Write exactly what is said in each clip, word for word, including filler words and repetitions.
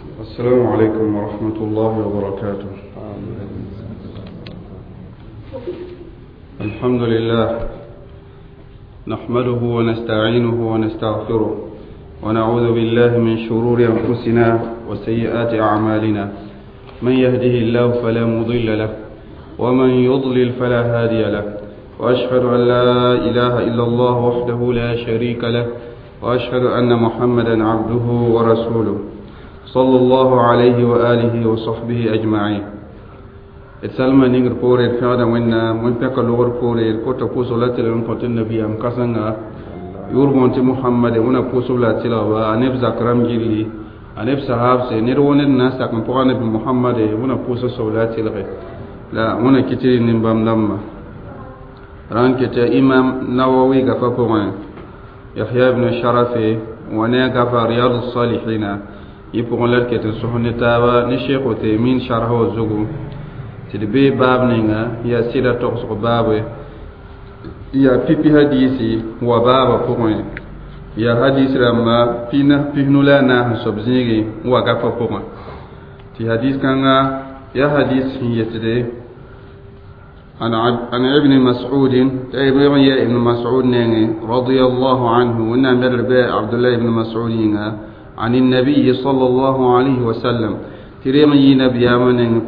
السلام عليكم ورحمة الله وبركاته. الحمد لله نحمده ونستعينه ونستغفره ونعوذ بالله من شرور أنفسنا وسيئات أعمالنا، من يهده الله فلا مضل له ومن يضلل فلا هادي له، وأشهد أن لا إله إلا الله وحده لا شريك له، وأشهد أن محمدا عبده ورسوله صلى الله عليه وآله وصحبه أجمعين. Salma ningr poore d fẽgda wẽnnaam wẽn pɛka logr poore d kota pʋʋsg la tɩlg n kõ tɩ nabiyaam kãsenga yʋʋr bõon tɩ Mohamade wẽna pʋʋsb la a tɩlgba a neb zak rãmb gilli a neb sahaabse ned wo ned na n sak n pʋga nabi Mohamade wẽna pʋʋsg soab la a tɩlge la wẽna kɩ tɩ rɩ nin-bãmb dãmba rãnd ket yaa Imam Nawawi gafa pʋgẽ Yahya ibn Sharafe wa ne a gafa Riyad salihina yẽ pʋgẽ la d ket n sõs ne taaba ne Sheikh Uthaymin sharha wã zugu tɩ d bee baab ninga yaa sɩda togsg baabe yaa pipi hadiisi wa baabã pʋgẽ yaa hadis rãmba pisnu la a naas n soab zĩigẽ n wa gafã pʋgẽ tɩ hadis kãnga yaa hadis sẽn yetde عن ابن مسعود يا ابن مسعود رضي الله عنه ونعم عبد الله بن مسعود عن النبي صلى الله عليه وسلم تريم يي نبيام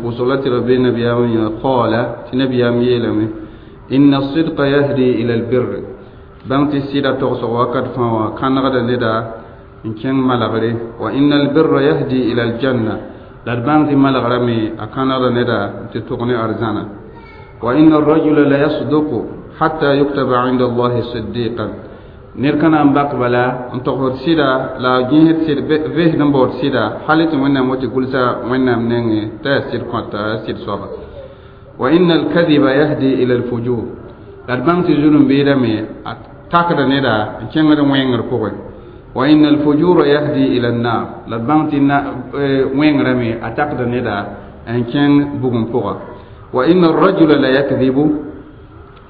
قصلت ربي نبيام قال تنبيام يلم إن الصدق يهدي إلى البر بانت السيدة تغسق وقد فوا كان غدا ندا إن كان ملغري وإن البر يهدي إلى الجنة لربانت ملغرمي أكان غدا ندا تتغني أرزانا وإن الرجل لا يصدق حتى يكتب عند الله صديقا ned ka na n bak bala n togsd sɩda la a gẽsd sɩd vesd n baood sɩda hal tɩ wẽnnaam wa tɩ gʋlsa wẽnnaam nengẽ t'a yaa sɩd kõta yaa sɩd soaba wa inna alkadiba yahdi ila alfujur la d bãng tɩ zulum-beedame a takda neda n kẽngd wẽngr pʋgẽ wa inna alfujura yahdi ila annar la d bãng tɩ wẽngrame a takda neda n kẽng bugum pʋga wa inna arrajula la yakdibu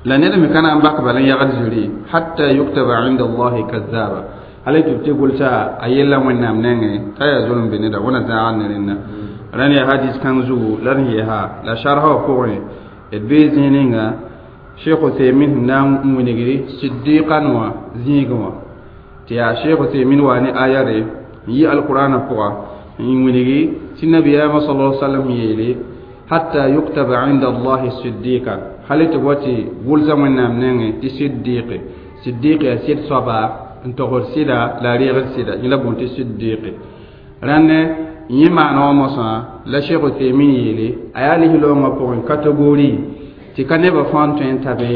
la ned me ka na n bak bala n yagd zuri hatta yuktaba inda allahi kazaba hala tɩ b tɩ gʋlsa a yella wẽnnaam nengẽ t'a yaa zulm be neda wẽna zãag ne rẽnna rãnd yaa hadis kãng zugu la d yɛsa la sharha wã pʋgẽ d bee zĩig ninga Sheikh Uthaymin sẽn na n wilgri siddiqan wã zĩigẽ wã tɩ yaa Sheikh Uthaymin waa ne ayare n yi alqur'ana pʋga n wilgi tɩ nabiyaamã sala sallam yeele hatta yuktaba inda allahi siddiqan hal tɩ wa tɩ gʋlsa wẽnnaam nengẽ tɩ siddiqe siddiq yaa sɩd soaba n togsd sɩda la a reegd sɩda yẽ la bõn tɩ siddiqe rãnd yẽ maana wã mosã la Sheikh Uthaymin yeele a yaa lislaoongã pʋgẽ kategori tɩ ka nebã fãa n tõe n ta be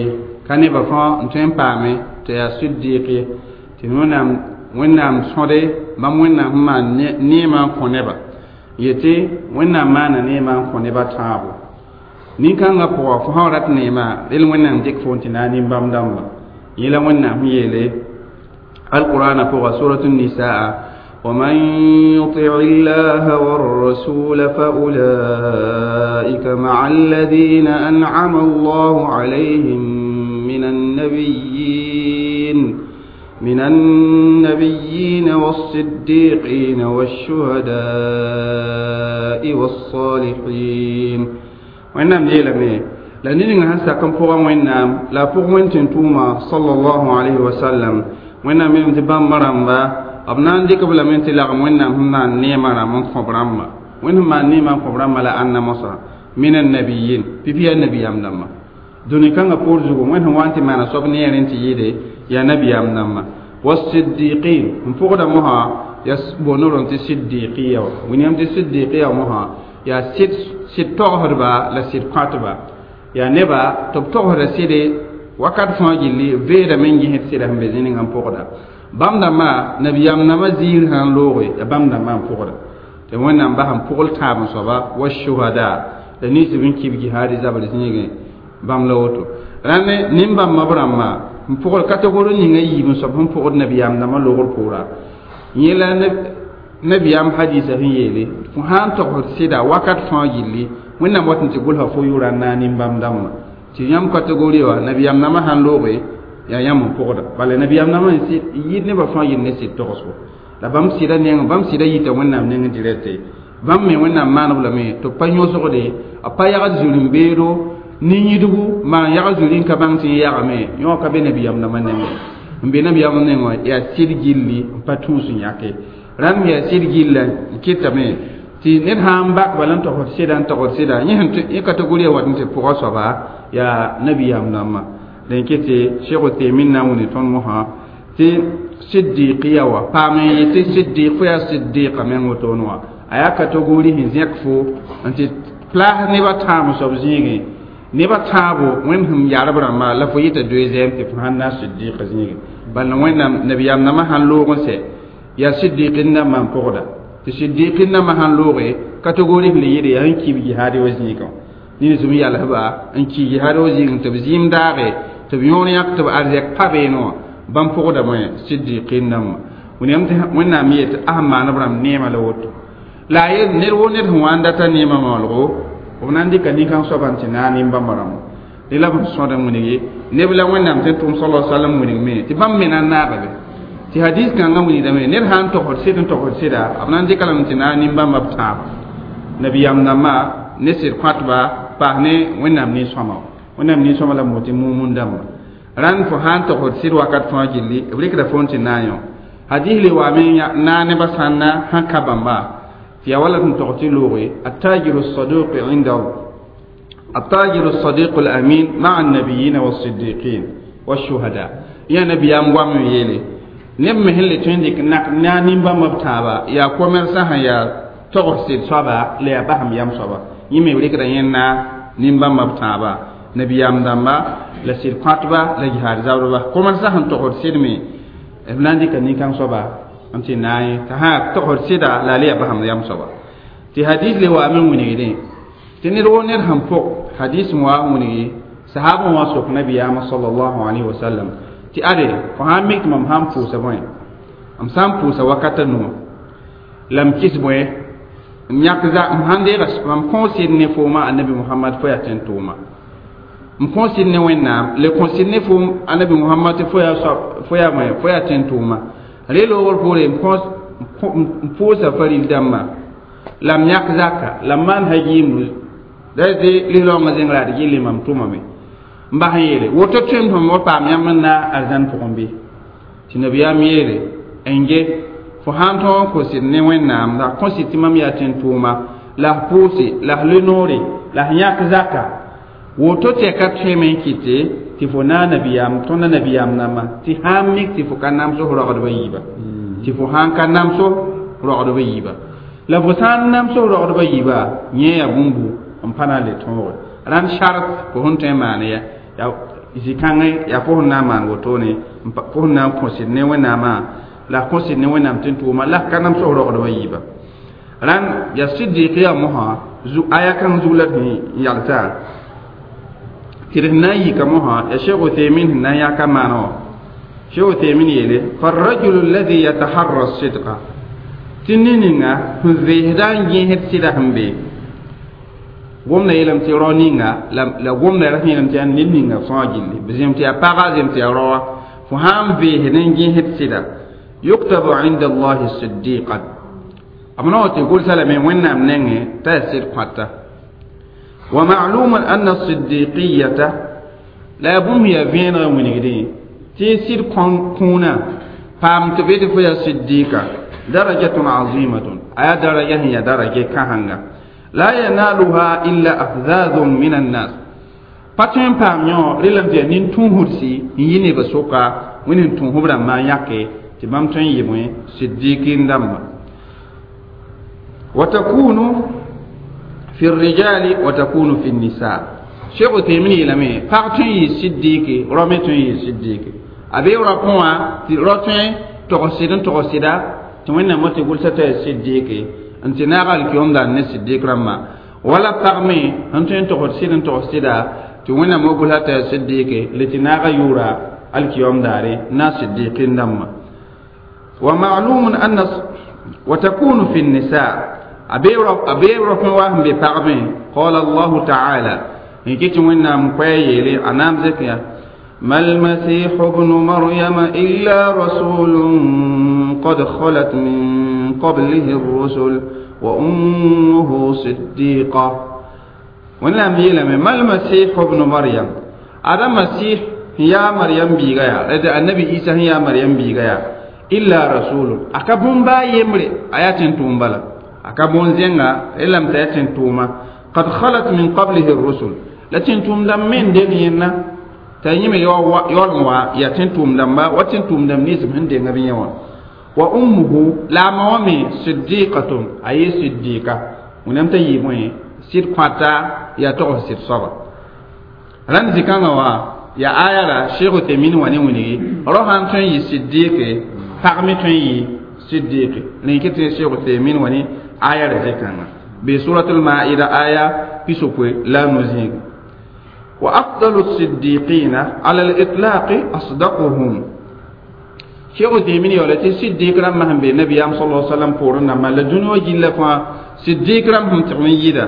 ka nebã fãa n tõe n paame tɩ yaa siddiq ye tɩ wẽnnaam wẽnnaam sõde bãmb wẽnnaam sẽn maan neemã n kõ neba yetɩ wẽnnaam maana neemã n kõ nebã tãabo nin-kãngã pʋga fo sã n rat neemã rel wẽnnaam dɩk fo n tɩ na n nin-bãmb dãmba yẽ la wẽnnaam sẽn yeele alqur'ana pʋga surat nisaa ومن يطع الله والرسول فأولئك مع الذين أنعم الله عليهم من النبيين من النبيين والصديقين والشهداء والصالحين wẽnnaam yeelame la ned ninga sẽn sak n pʋgã wẽnnaam la a pʋg wẽn tɩ tʋʋma sallallahu alayhi wa sallam wẽnnaam yeelame tɩ bãmba rãmba b na n dɩk b lame tɩ lagem wẽnnaam sẽn maan neemã rãmb n kõ b rãmba wẽnd sẽn maan neemã n kõ b rãmba la ãnna mosã min annabiyin pipi yaa nabiyaam dãmba dũni kãngã poor zugu wẽnd sẽn wa n tɩ maana soab neerẽ tɩ yɩɩde yaa nabiyaam dãmba wasiddiqin n pʋgda mosã yaa boonrõ tɩ siddiqiya wã william tɩ siddiqiya mosã yaa sɩd sɩd togsdba la sɩd kõtba yaa neba tɩ b togsda sɩde wakat fãa gilli veedame n gẽsd sɩda sẽn be zĩ ninga n pʋgda bãmb dãmbã nabiyaam nambã ziir sã n looge yaa bãmb dãmbã n pʋgda tɩ wẽnnaam bas n pʋgl tãab n soaba wa shuhada la ninsb n kib jihaadi zabr zĩigẽ bãmb la woto rãnd nin-bãmbã b rãmba n pʋgd kategori ninga yiib n soab sẽn pʋgd nabiyaam dãmbã loogr pʋʋra yẽ la nabiyaam hadisa sẽn yeele fo sã n togsd sɩda wakat fãa gilli wẽnnaam wat n tɩ gʋlsa fo yʋʋra n na n nin-bãmb dãmbã tɩ yãmb kategori wã nabiyaam nambã sãn looge yaa yãmb n pʋgda bala nabiyaam nambã n yɩɩd nebã fãa yɩl ne sɩd togsgo La bãmb sɩda neng bãmb sɩda yita Wẽnnaam nengẽ dirɛte bãmb me Wẽnnaam maaneb lame tɩ b pa yõsgde b pa yagd zulm-beedo nin-yidgu maan yagd zuri n ka bãng tɩ yẽ yagame yõ ka be nabiyaam dãmbã nengẽ n be nabiyaam neng wã yaa sɩd gilli n pa tũus n yãke rãmb yaa sɩd gilla n kɩtame tɩ ned sã n bak bala n togsd sɩda n togsd sɩda yẽ kategori wat n tɩ pʋga soaba yaa nabiyaam dãmbã dẽn kɩ tɩ Cheikh Uthaymin na n wilg tõnd mosã tɩ siddiqiya wa paam n yetɩ siddiq fo yaa siddiqa meng wotone wã a yaa kategori sẽn zẽk fo n tɩ plaas nebã tãam soab zĩigẽ nebã tãabo Wẽnd sẽn yarb rãmba la fo yɩta deuxième tɩ fo sãn na siddiqa zĩigẽ bala Wẽnnaam nabiyaam dãmbã sãn loog n sɛ yaa siddiqin dãmbã n pʋgda tɩ siddiqin dãmbã sãn looge kategori sẽn le yɩɩd yaa sẽn kib jihaad wa zĩigã nins m yalsba n ki jihaad wa zĩigẽ tɩ b zĩim daage tɩ b yõor yãk tɩ b arzɛk pa beene wã bãmb pʋgdame siddiqin dãmbã Wẽnnaam yet a sẽn maan b rãmb neema la woto la a yel ned wo ned sẽn wa n data neemã maolgo b na n dɩka nin-kãng soabã n tɩ naag nin-bãmba rãmba dẽ la b sõd n wilgi neb la Wẽnnaam sẽn tʋm sala salam wilgme tɩ bãmb me na n naaga be tɩ hadis kãngã wilgdame ned sã n togsd sɩd n togsd sɩda b na n dɩka lame tɩ naag nin-bãmba b tãaba nabiyaam dãmbã ne sɩd kõatba paas ne Wẽnnaam nin-sõma Wẽnnaam nin-sõma la b tɩ mumun dãmba rãnd fo sã n togsd sɩd wakat fãa gilli b rɩkda fo n tɩ naag yõ hadis le waame naag nebã sãnna sãn ka bãmba tɩ yaa wala tɩ tog tɩ looge التاجر الصدوق عند التاجر الصديق الأمين مع النبيين والصديقين والشهداء يا نبي أم قام يلي neb me sẽn le tõe n dɩk na nin-bãmb b tãaba yaa commerçant sẽn yaa togs sɩd soaba la yaa basem yam soaba yẽ me b rɩkda yẽnda nin-bãmba b tãaba nabiyaam dãmba la sɩd kõatba la jihaad zabdba commerçant sẽn togsd sɩd me b na n dɩka nin-kãng soaba n tɩ naag yẽ t'a sã togsd sɩda la a le yaa basem yam soaba tɩ hadis le waame n wilgdẽ tɩ ned wo ned sẽn pʋg hadis n wa n wilgi sahaabã wã sok nabiyaamã sallallahu alayhi wa sallam tɩ ade fo sã n mik tɩ mam sã n pʋʋsa bõe m sã n pʋʋsa wakata nuwã la m kɩs bõe m yãk za m sãn deega mam kõo sɩd ne fooma annabi Muhammad fo yaa tẽn tʋʋma m kõo sɩd ne Wẽnnaam le kõ sɩd ne foom annabi Muhammad tɩ fo yaa fo yaa bõe fo yaa tẽn tʋʋma re loogr poore m pʋʋsa faril dãmbã la m yãk zaka la m maan hajiimdu da tɩ lis-raoongã zẽng raad gilli mam tʋmame n bas n yeele woto tõem tɩ wa paam yãmb n na arzãn pʋgẽ bɩ tɩ nabiyaam yeele n ge fo sãn tõog n kõ sɩd ne Wẽnnaam la kõ sɩd tɩ mam yaa tẽn-tʋʋma la f pʋʋse la f le noore la f yãk zaka woto tɛka tõeme n kɩte tɩ fo na nabiyaam tõnda nabiyaam namba tɩ sãn mik tɩ fo ka namso rogdbã yiiba tɩ fo sãn ka namso rogdbã yiiba la fo sã n namso rogdbã yiiba yẽ yaa bũmbu n pa na n le tõoge rãnd sart fo sẽn tõe n maan ya ya zĩ-kãngẽ yaa fo sẽn na n maan wotone fo sẽn na n kõ sɩd ne Wẽnnaamã la kõ sɩd ne Wẽnnaam tẽn tʋʋma la ka namso rogdbã yiiba rãnd yaa siddiqiya mosã aya kãng zug la tɩ n yalsa tɩ d sẽn na n yika mosã yaa Cheikh Uthaymin sẽn na n yãka maana wã Cheikh Uthaymin yeele فالرجل الذي يتحرى الصدق tɩ ne-ninga sẽn veesda n gẽesd sɩda sẽn be gomda yeelame tɩ rao ninga la gomda ra sẽn yeelame tɩ yaa ned ninga fãa gilli b zẽm tɩ yaa paga zẽm tɩ yaa raoa fo sã n veesd n gẽesd sɩda يكتب عند الله صديقا b na wa tɩ gʋlsa lame Wẽnnaam nengẽ t'a yaa sɩd kõata ومعلوم أن الصديقية la yaa bũmb yaa vẽeneg n wilgdẽ tɩ sɩd kũunã paam tɩ be tɩ fo yaa siddiqa درجة عظيمة aya daraja sẽn yaa daraja kãsengã لا ينالها إلا أفذاذ من الناس pa tõe n paam yõ relame tɩ yaa nin-tũusdsi n yi nebã sʋka Wẽnd sẽn tũus b rãmbã n yãke tɩ bãmb tõe n yɩ bõe siddiqin dãmba وتكون في الرجال وتكون في النساء Cheikh Uthaymin yeelame pag tõe n yɩ siddiqi rao me tõe n yɩ siddiqi a bee rao pʋgã wã tɩ rao tõe togs sɩd n togs sɩda tɩ Wẽnnaam tɩ gʋlsa t'a yaa siddiqi n tɩ naag alkiyomda ne siddiq rãmbã wala pag me sẽn tõe n togsd sɩd n togs sɩda tɩ Wẽnnaam wa gʋlsa t'a yaa siddiqi le tɩ naaga yʋʋra alkiyom daare na siddiqin dãmbã ومعلوم أن وتكون في النساء a bee rao wa sẽn be pagmẽ قال الله تعالى n kɩ tɩ Wẽnnaam koɛɛ yeele a naam zẽk ya ما المسيح ابن مريم إلا رسول قد خلت من قبله الرسل وأمه صديقة. ونعم يلم ما المسيح ابن مريم؟ هذا مسيح يا مريم بيغايا، النبي عيسى يا مريم بيغايا إلا رسول. أكبون با يمري آيات تومبلا أكبون زينغا إلا متأتين توما قد خلت من قبله الرسل لكن توم دم من دينينا تنيم يولوا يتين توم دم با وتين توم دم نيزم هندي نبيوا وأمه لا مومي صديقة أي صديقة ونم تيموي سيد قطا يا تو سيد صبا ران زكانا وا يا آية لا شيخ تيمين واني وني روحان تون يي صديق فقمي تون يي صديق لكن شيخ تيمين واني آية لا زكانا بسورة المائدة آية بسوكوي لا نزيغ. وأفضل الصديقين على الإطلاق أصدقهم. شيخ تيمين يقول صديق رم هم بالنبي صلى الله عليه وسلم قرنا ما لدنيا جل فا صديق رم هم تغنيدا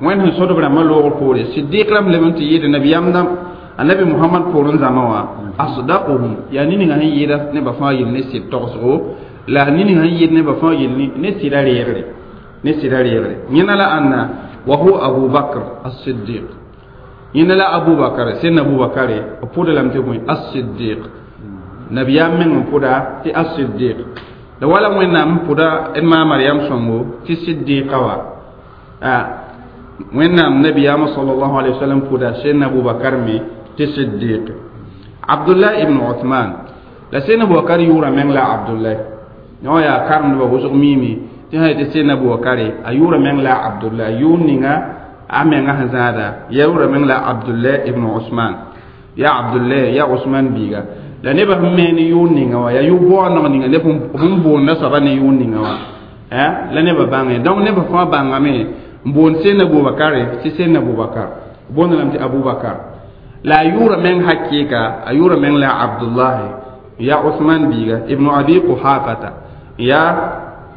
وين هم صدق رم لوغ قوري صديق رم لمن تيجي النبي أمنا النبي محمد قرن زموا أصدقهم يعني نيجي يدا نبى فايل نسي تقصو لا نيجي يد نبى فايل نسي لا ريغري نسي لا ريغري ينال أن وهو أبو بكر الصديق ينال أبو بكر سين أبو بكر أقول لهم تقول الصديق نبي من قدا تي الصديق لولا من نام قدا إما مريم سمو تي صديق وا آه وين نام نبي صلى الله عليه وسلم قدا سين أبو بكر مي تي صديق عبد الله ابن عثمان لا سين أبو بكر يورا من لا عبد الله نو يا كارم بوزق ميمي تي هاي تي سين أبو بكر أيورا من لا عبد الله يونينا أمين هذا يورا من لا عبد الله ابن عثمان يا عبد الله يا عثمان بيغا la neba sẽn me ne yʋʋr ninga wã yaa yʋ-baooneg ninga neb sẽn boond la soaba ne yʋʋr ninga wã la nebã bãnge donc nebã fãa bãngame n boond sẽn Abubakar tɩ sẽn Abubakar boond lame tɩ Abubakar la a yʋʋra meng hakɩɩka a yʋʋra meng la Abdullahi ya Usman biiga ibn Abi Quhafata ya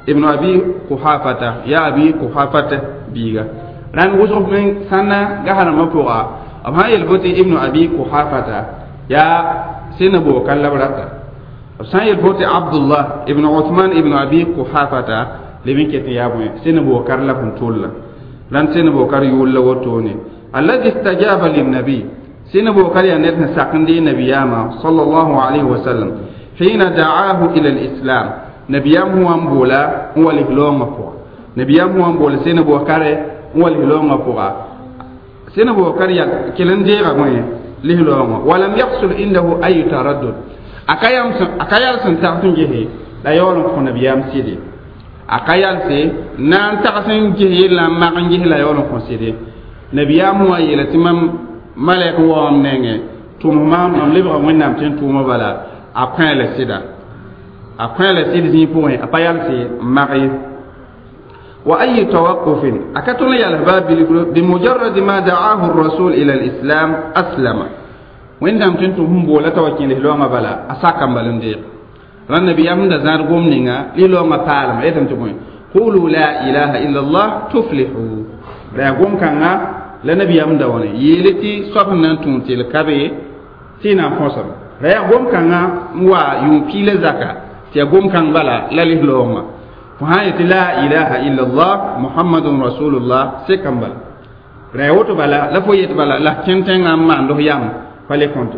ibn Abi Quhafata ya Abi Quhafata biiga rãnd wʋsg meng sãnna gasanamã pʋga b sã n yel fo tɩ ibn Abi Quhafata ya سين أبو بكر لبرتا سان يلفوت عبد الله ابن عثمان ابن أبي قحافة لمن كتيابه سين أبو بكر لفن تولى لان سين أبو بكر يقول له توني الذي استجاب للنبي سين أبو بكر ينتهي ساقندي نبياما صلى الله عليه وسلم حين دعاه إلى الإسلام نبيام هو أمبولا هو لهلوم فوق نبيام هو أمبولا سين أبو بكر هو لهلوم فوق سين أبو بكر كلن ديغا لهلوما ولم يحصل عنده أي تردد أكايام أكايال سن جهي لا يولن كون بيام سيدي أكايال سي نان تحسن جهي لا ما جهي لا يولن كون سيدي نبيام هو يلتمم ملك وام نينه توما مام لبغا وينام تين توما بلا أكايال سيدا أكايال سيدي زي بوين أكايال سي ماري وأي توقف أكتل يالباب بمجرد ما دعاه الرسول إلى الإسلام أسلم وين دام تنتو هم بولا توكين لهلوما بلا أساكم بلنديق ران النبي أمد زار قوم نينا لهلوما بالما إذن تقول قولوا لا إله إلا الله تفلحوا لا قوم كان لنبي أمد وني يلتي صفنا تونتي الكبي تينا فوسم لا قوم كان موا يوكي لزكا تيقوم كان بلا لا لهلوما فهاية لا إله إلا الله محمد رسول الله سكن بلا رأيوت بلا لفويت بلا لا كنتين أما عنده يام فلي كنت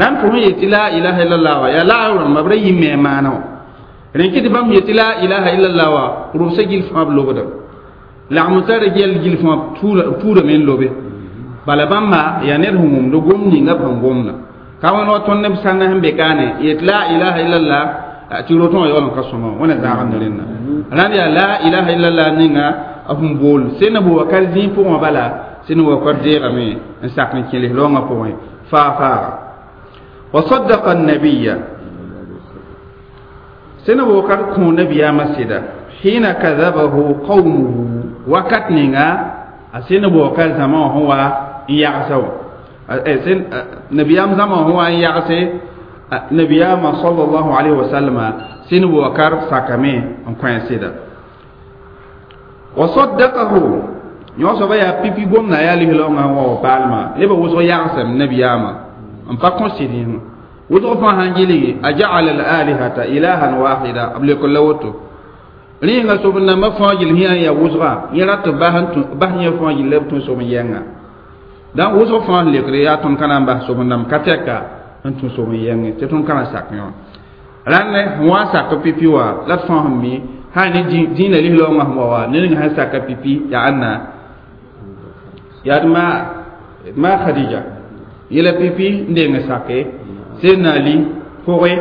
رام فهاية لا إله إلا الله يا لا أورم مبري ميمانو رنكت بام يت لا إله إلا الله رسجل فاب لوبدا لا متر جل جل فاب تور تور من لوبه بلا بام ما ينرهم لقوم نيجا بانقومنا كمان وطن نبسنا هم بكانه يت لا إله إلا الله tɩ rotõ wã yaool n ka sõma wẽna zãagd rẽnna rãnd yaa la ilaha illallah ninga b sẽn bool sẽn Abubakar zĩig pʋgẽ bala sẽn Abubakar deegame n sak n kẽ lislaoongã pʋgẽ faa-faaga wa saddaqa an-nabiyya sẽn Abubakar kõ nabiyaamã sɩda hina kadhabahu qawmuhu wakat ninga a sẽn Abubakar zãma wã sẽn wa n yagsa wã nabiyaam zãma wã sẽn wa n yagse نبيام صلى الله عليه وسلم سين وكر ساكمي ان سيدا وصدقه يوسف يا بيبي بوم نا يا لهلو نا و بالما لبا وسو يعسم نبيام ان با كونسيدين Wʋsg fãa sãn gilgi aja'ala al-alihata ilahan wahida b leok la woto rẽnga sob nambã fãa gill sẽn yaa wʋsga yẽ rat b bas yẽ fãa gill la b tũ sob n yɛnga dãn wʋsg fãa sẽn lekre yaa tõnd ka na n bas sob n dãmb ka tɛka n tũ sob n yɛngẽ tɩ tõnd ka na sak yẽ wã rãnd sẽn wa n sak pipi wã la d fãa sẽn mi sã ne dĩinã lis-raoongã sẽn wa wa ned ninga sẽn saka pipi yaa ãnna yaa d ma ma Khadija yela pipi n deng sake Seydina Ali pʋgẽ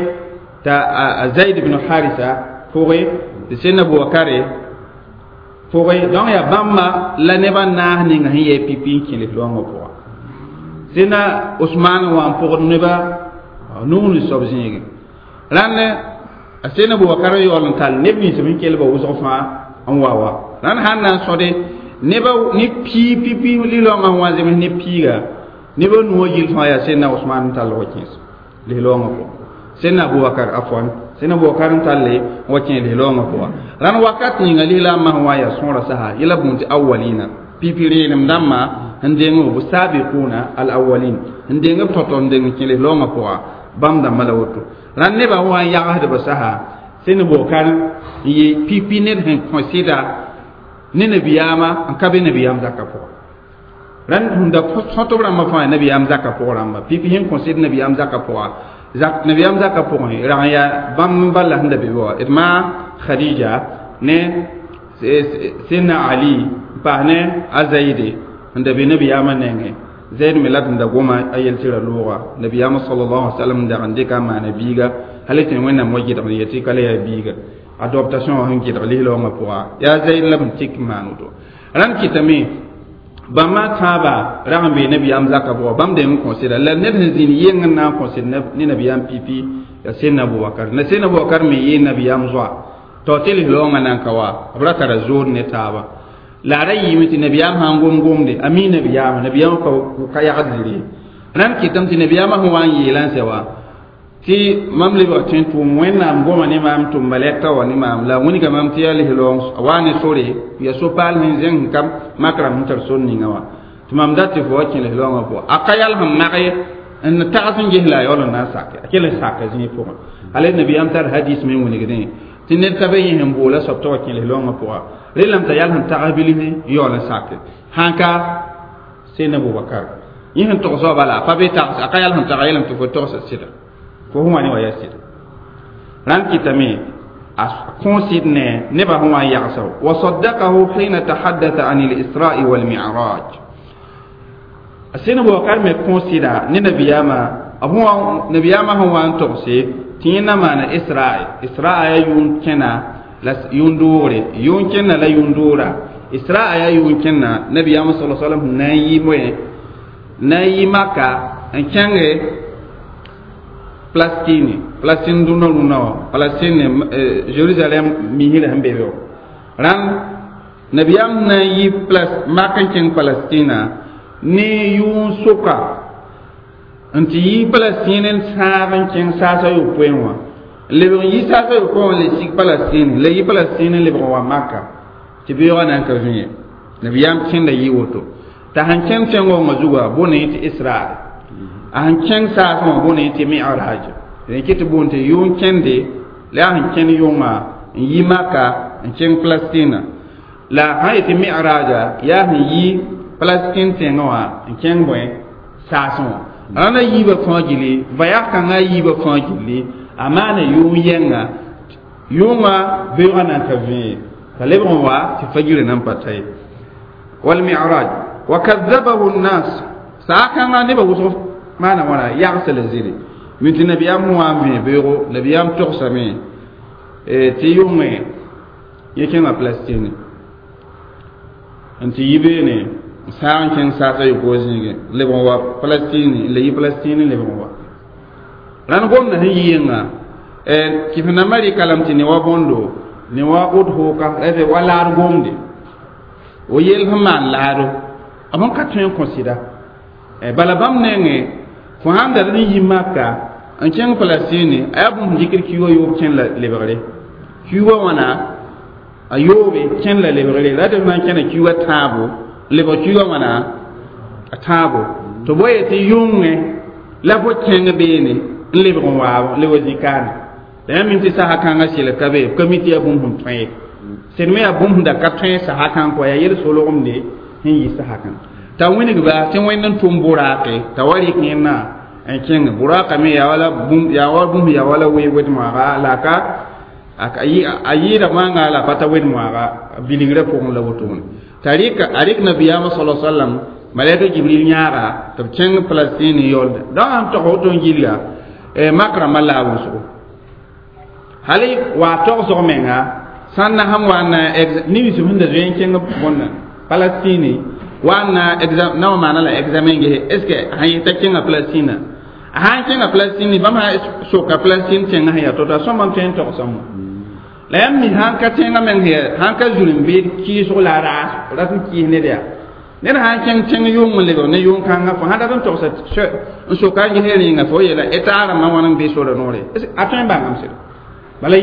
t'a a Zaid ibn Harisa pʋgẽ tɩ Seydina Abubakare pʋgẽ donc yaa bãmba la neb a naas ninga sẽn yɛ pipi n kẽ lis-raoongã pʋga Seydina Osman wã n pʋgd neba nug ni soab zĩigẽ rãnd a Seydina Abubakar yaool n tall neb nins sẽn kell ba wʋsg fãa n wa wa rãnd sãn na n sõde neba ne pii pipi lis-raoongã sẽn wa n zems ne piiga neba nuwã gill fãa yaa Seydina Osman n tall wa kẽes lis-raoongã pʋgã Seydina Abubakar afwan Seydina Abubakar n talle wa kẽ lis-raoongã pʋga rãnd wakat ninga lislaambã sẽn wa yaa sõora sasa yẽla bũmb tɩ awalina pipi reenem dãmbã sẽn deng b sabiquna al awalin sẽn deng b tao-tao n deng kẽ lis-raoongã pʋga bãmb dãmbã la woto rãnd nebã wa n yagsdba sasa Seydina Abubakar n yee pipi ned sẽn kõ sɩda ne nabiyaamã n ka be nabiyaam zakã pʋga rãnd sẽn da sõtb rãmbã fãa nabiyaam zakã pʋg rãmba pipi sẽn kõ sɩd nabiyaam zakã pʋga zak nabiyaam zakã pʋgẽ rag n yaa bãmb bala sẽn da be wa d ma Khadija ne Seydina Ali n paas ne a Zaide sẽn da be nabiyaamã nengẽ Zaid me la tɩ da goma a yel tɩ ra looga nabiyaamã sallallahu alaihi wasallam dag n dɩka n maana biiga hal tɩ wẽnnaam wa gɩdg n yetɩ ka la yaa biiga adoptation wã sẽn gɩdg lis-raoongã pʋga yaa Zaid la b n tik n maan woto rãnd kɩtame bãmba tãaba rag n bee nabiyaam zakã pʋga bãmb deng n kõsɩda la ned sẽn zĩnd yeng n na n kõsɩd ne nabiyaam pipi yaa Seydina Abubakar la Seydina Abubakar me yee nabiyaam zoa tɩ tɩ lis-raoongã nan ka wa b ra tara zood ne taaba la a ra yɩɩme tɩ nabiyaam sã n gom gomde a mi nabiyaamã nabiyaamã ka yagd zĩri rãnd kɩtame tɩ nabiyaamã sẽn wa n yeelã n sɛ wa tɩ mam lebg tɩ n tʋʋm wẽnnaam goma ne maam tʋm malɛka wa ne maam la wilga mam tɩ yaa lis-raoong a waa ne sore ya so-paal sẽn zẽng sẽn ka mak rãmb sẽn tar sor ninga wã tɩ mam dat tɩ fo wa kẽ lis-raoongã pʋga a ka yal sẽn mag ye n tags n ges la a yaool n na n sake a kell n saka zĩig pʋgẽ ala nabiyaam tar hadis me n wilgdẽ tɩ ned ka be yẽ sẽn boola soab tɩ wa kẽ lis-raoongã pʋga relame t'a yal sẽn tags bilf n yaool n sake sãn ka Seydina Abubakar yẽ sẽn togs wa bala a pa be tags a ka yal sẽn taga yeelame tɩ fo togsa sɩda fo sẽn wa ne wa yaa sɩda rãnd kɩtame a kõosɩd ne nebã sẽn wa n yagsa wa saddaqahu hina tahaddatha an al-isra'i wal mi'raj a Seydina Abubakar me kõosɩda ne nabiyaamã nabiyaamã sẽn wa n togse tɩ yẽ na maana isra'i isra'a yaa yʋʋn kẽna la yʋʋn doogre yʋʋn kẽnna la yʋʋn doora isra'a yaa yʋʋn kẽnna nabiyaamã sala sallam sẽn na n yi moẽ na n yi Maka n kẽnge Palestine Palestine dũnã rũnã wã Palestine Jerusalem misrã sẽn be be wã rãnd nabiyaam na n yi Mak n kẽng Palestina ne yʋʋn soka n tɩ yi Palestine n sãag n kẽng saasa yopoe wã lebg n yi saasa yopoe wã le sig Palestine la yi Palestine n lebg n wa Maka tɩ beoogã na n ka vĩye nabiyaam kẽnda yɩ woto t'a sẽn kẽng tẽngongã zuga bõne tɩ Israel a sẽn kẽng saasẽ wã bõne tɩ Mi'raj rẽ kɩ tɩ boond tɩ yʋʋn kẽnde la yaa sẽn kẽnd yʋngã n yi Maka n kẽng Palestina la sã yetɩ Mi'raja yaa sẽn yi Palestine tẽngã wã n kẽng bõe saasẽ wã rãndã yiibã fãa gilli voyage kãngã yiibã fãa gilli a maana yʋʋm yɛnga yʋʋngã beoogã na n ka vẽe t'a lebg n wa tɩ fajirã nan pa ta ye wal mi'raj wa kadhabahu an-nas saa kãngã nebã wʋsg maana wãna yagsa la zĩri min tɩ nabiyaam sẽn wa n vẽe beoogo nabiyaam togsame tɩ yʋngẽ yẽ kẽnga Palestine n tɩ yi beene n saag n kẽng saasa yopoe zĩigẽ lebg n wa Palestine la yi Palestine lebg n wa rãnd gomdã sẽn yi yẽnga kɩf-nambã rɩka lame tɩ ne wa bõndo ne wa ud hooka wa laad gomde o yel sẽn maan laado b sẽn ka tõe n kõ sɩda bala bãmb nengẽ fo sãn da n yi Maka n kẽng Palestine a yaa bũmb sẽn dɩkd kiuugã yoob kẽn la lebgre kiuugã wãna a yoobe kẽn la lebgre la tɩ f na n kẽna kiuugã tãabo lebg kiuugã wãna a tãabo tɩ bo yetɩ yʋngẽ la fo kẽng beene n lebg n waab le wa zĩ-kaane la yãmb mim tɩ sasa kãngã sɩl ka be b ka mi tɩ yaa bũmb sẽn tõe ye sẽd me yaa bũmb sẽn da ka tõe sasa kãng kɔ yaa yel-solgemde sẽn yɩ sasa kãng t'a wĩnigba tɩ wẽnd n tʋm bʋraake t'a wa rɩk yẽnna n kẽng bʋraaka me yaa wala bũmb yaa wa bũmb yaa wala wee wed-moaaga la a ka a yɩɩda maanga la pa ta wed-moaaga bilingrã pʋgẽ la wotone t'a rɩka a rɩk nabiyaamã sala sallam malaika jibril yãaga tɩ b kẽng palestine yaoolde dã sãn tog woto n gilla mak rãmbã la a wʋsgo hali wa togsg menga sãn na sãn wa na ninsb sẽn da zoe n kẽng bõnna palestine wa na exam na wa maana la examen gese est ce que sãn yeta kẽnga palestine a sãn kẽnga palestine bãmb sã soka palestine tẽngã sẽn yaa to-to a sõma n tõe n togsame la yãmb mi sãn ka tẽngã meng sãn ka zulem-beed kɩɩsg la a raas rat n kɩɩs ned yaa ned sãn kẽng tẽng yʋng n lebg ne yʋng kãngã fo sãn dat n togsa n soka n ges rẽnga fo yeela eta rãmbã wãn n be sora noore a tõe n bãngame sɩda bala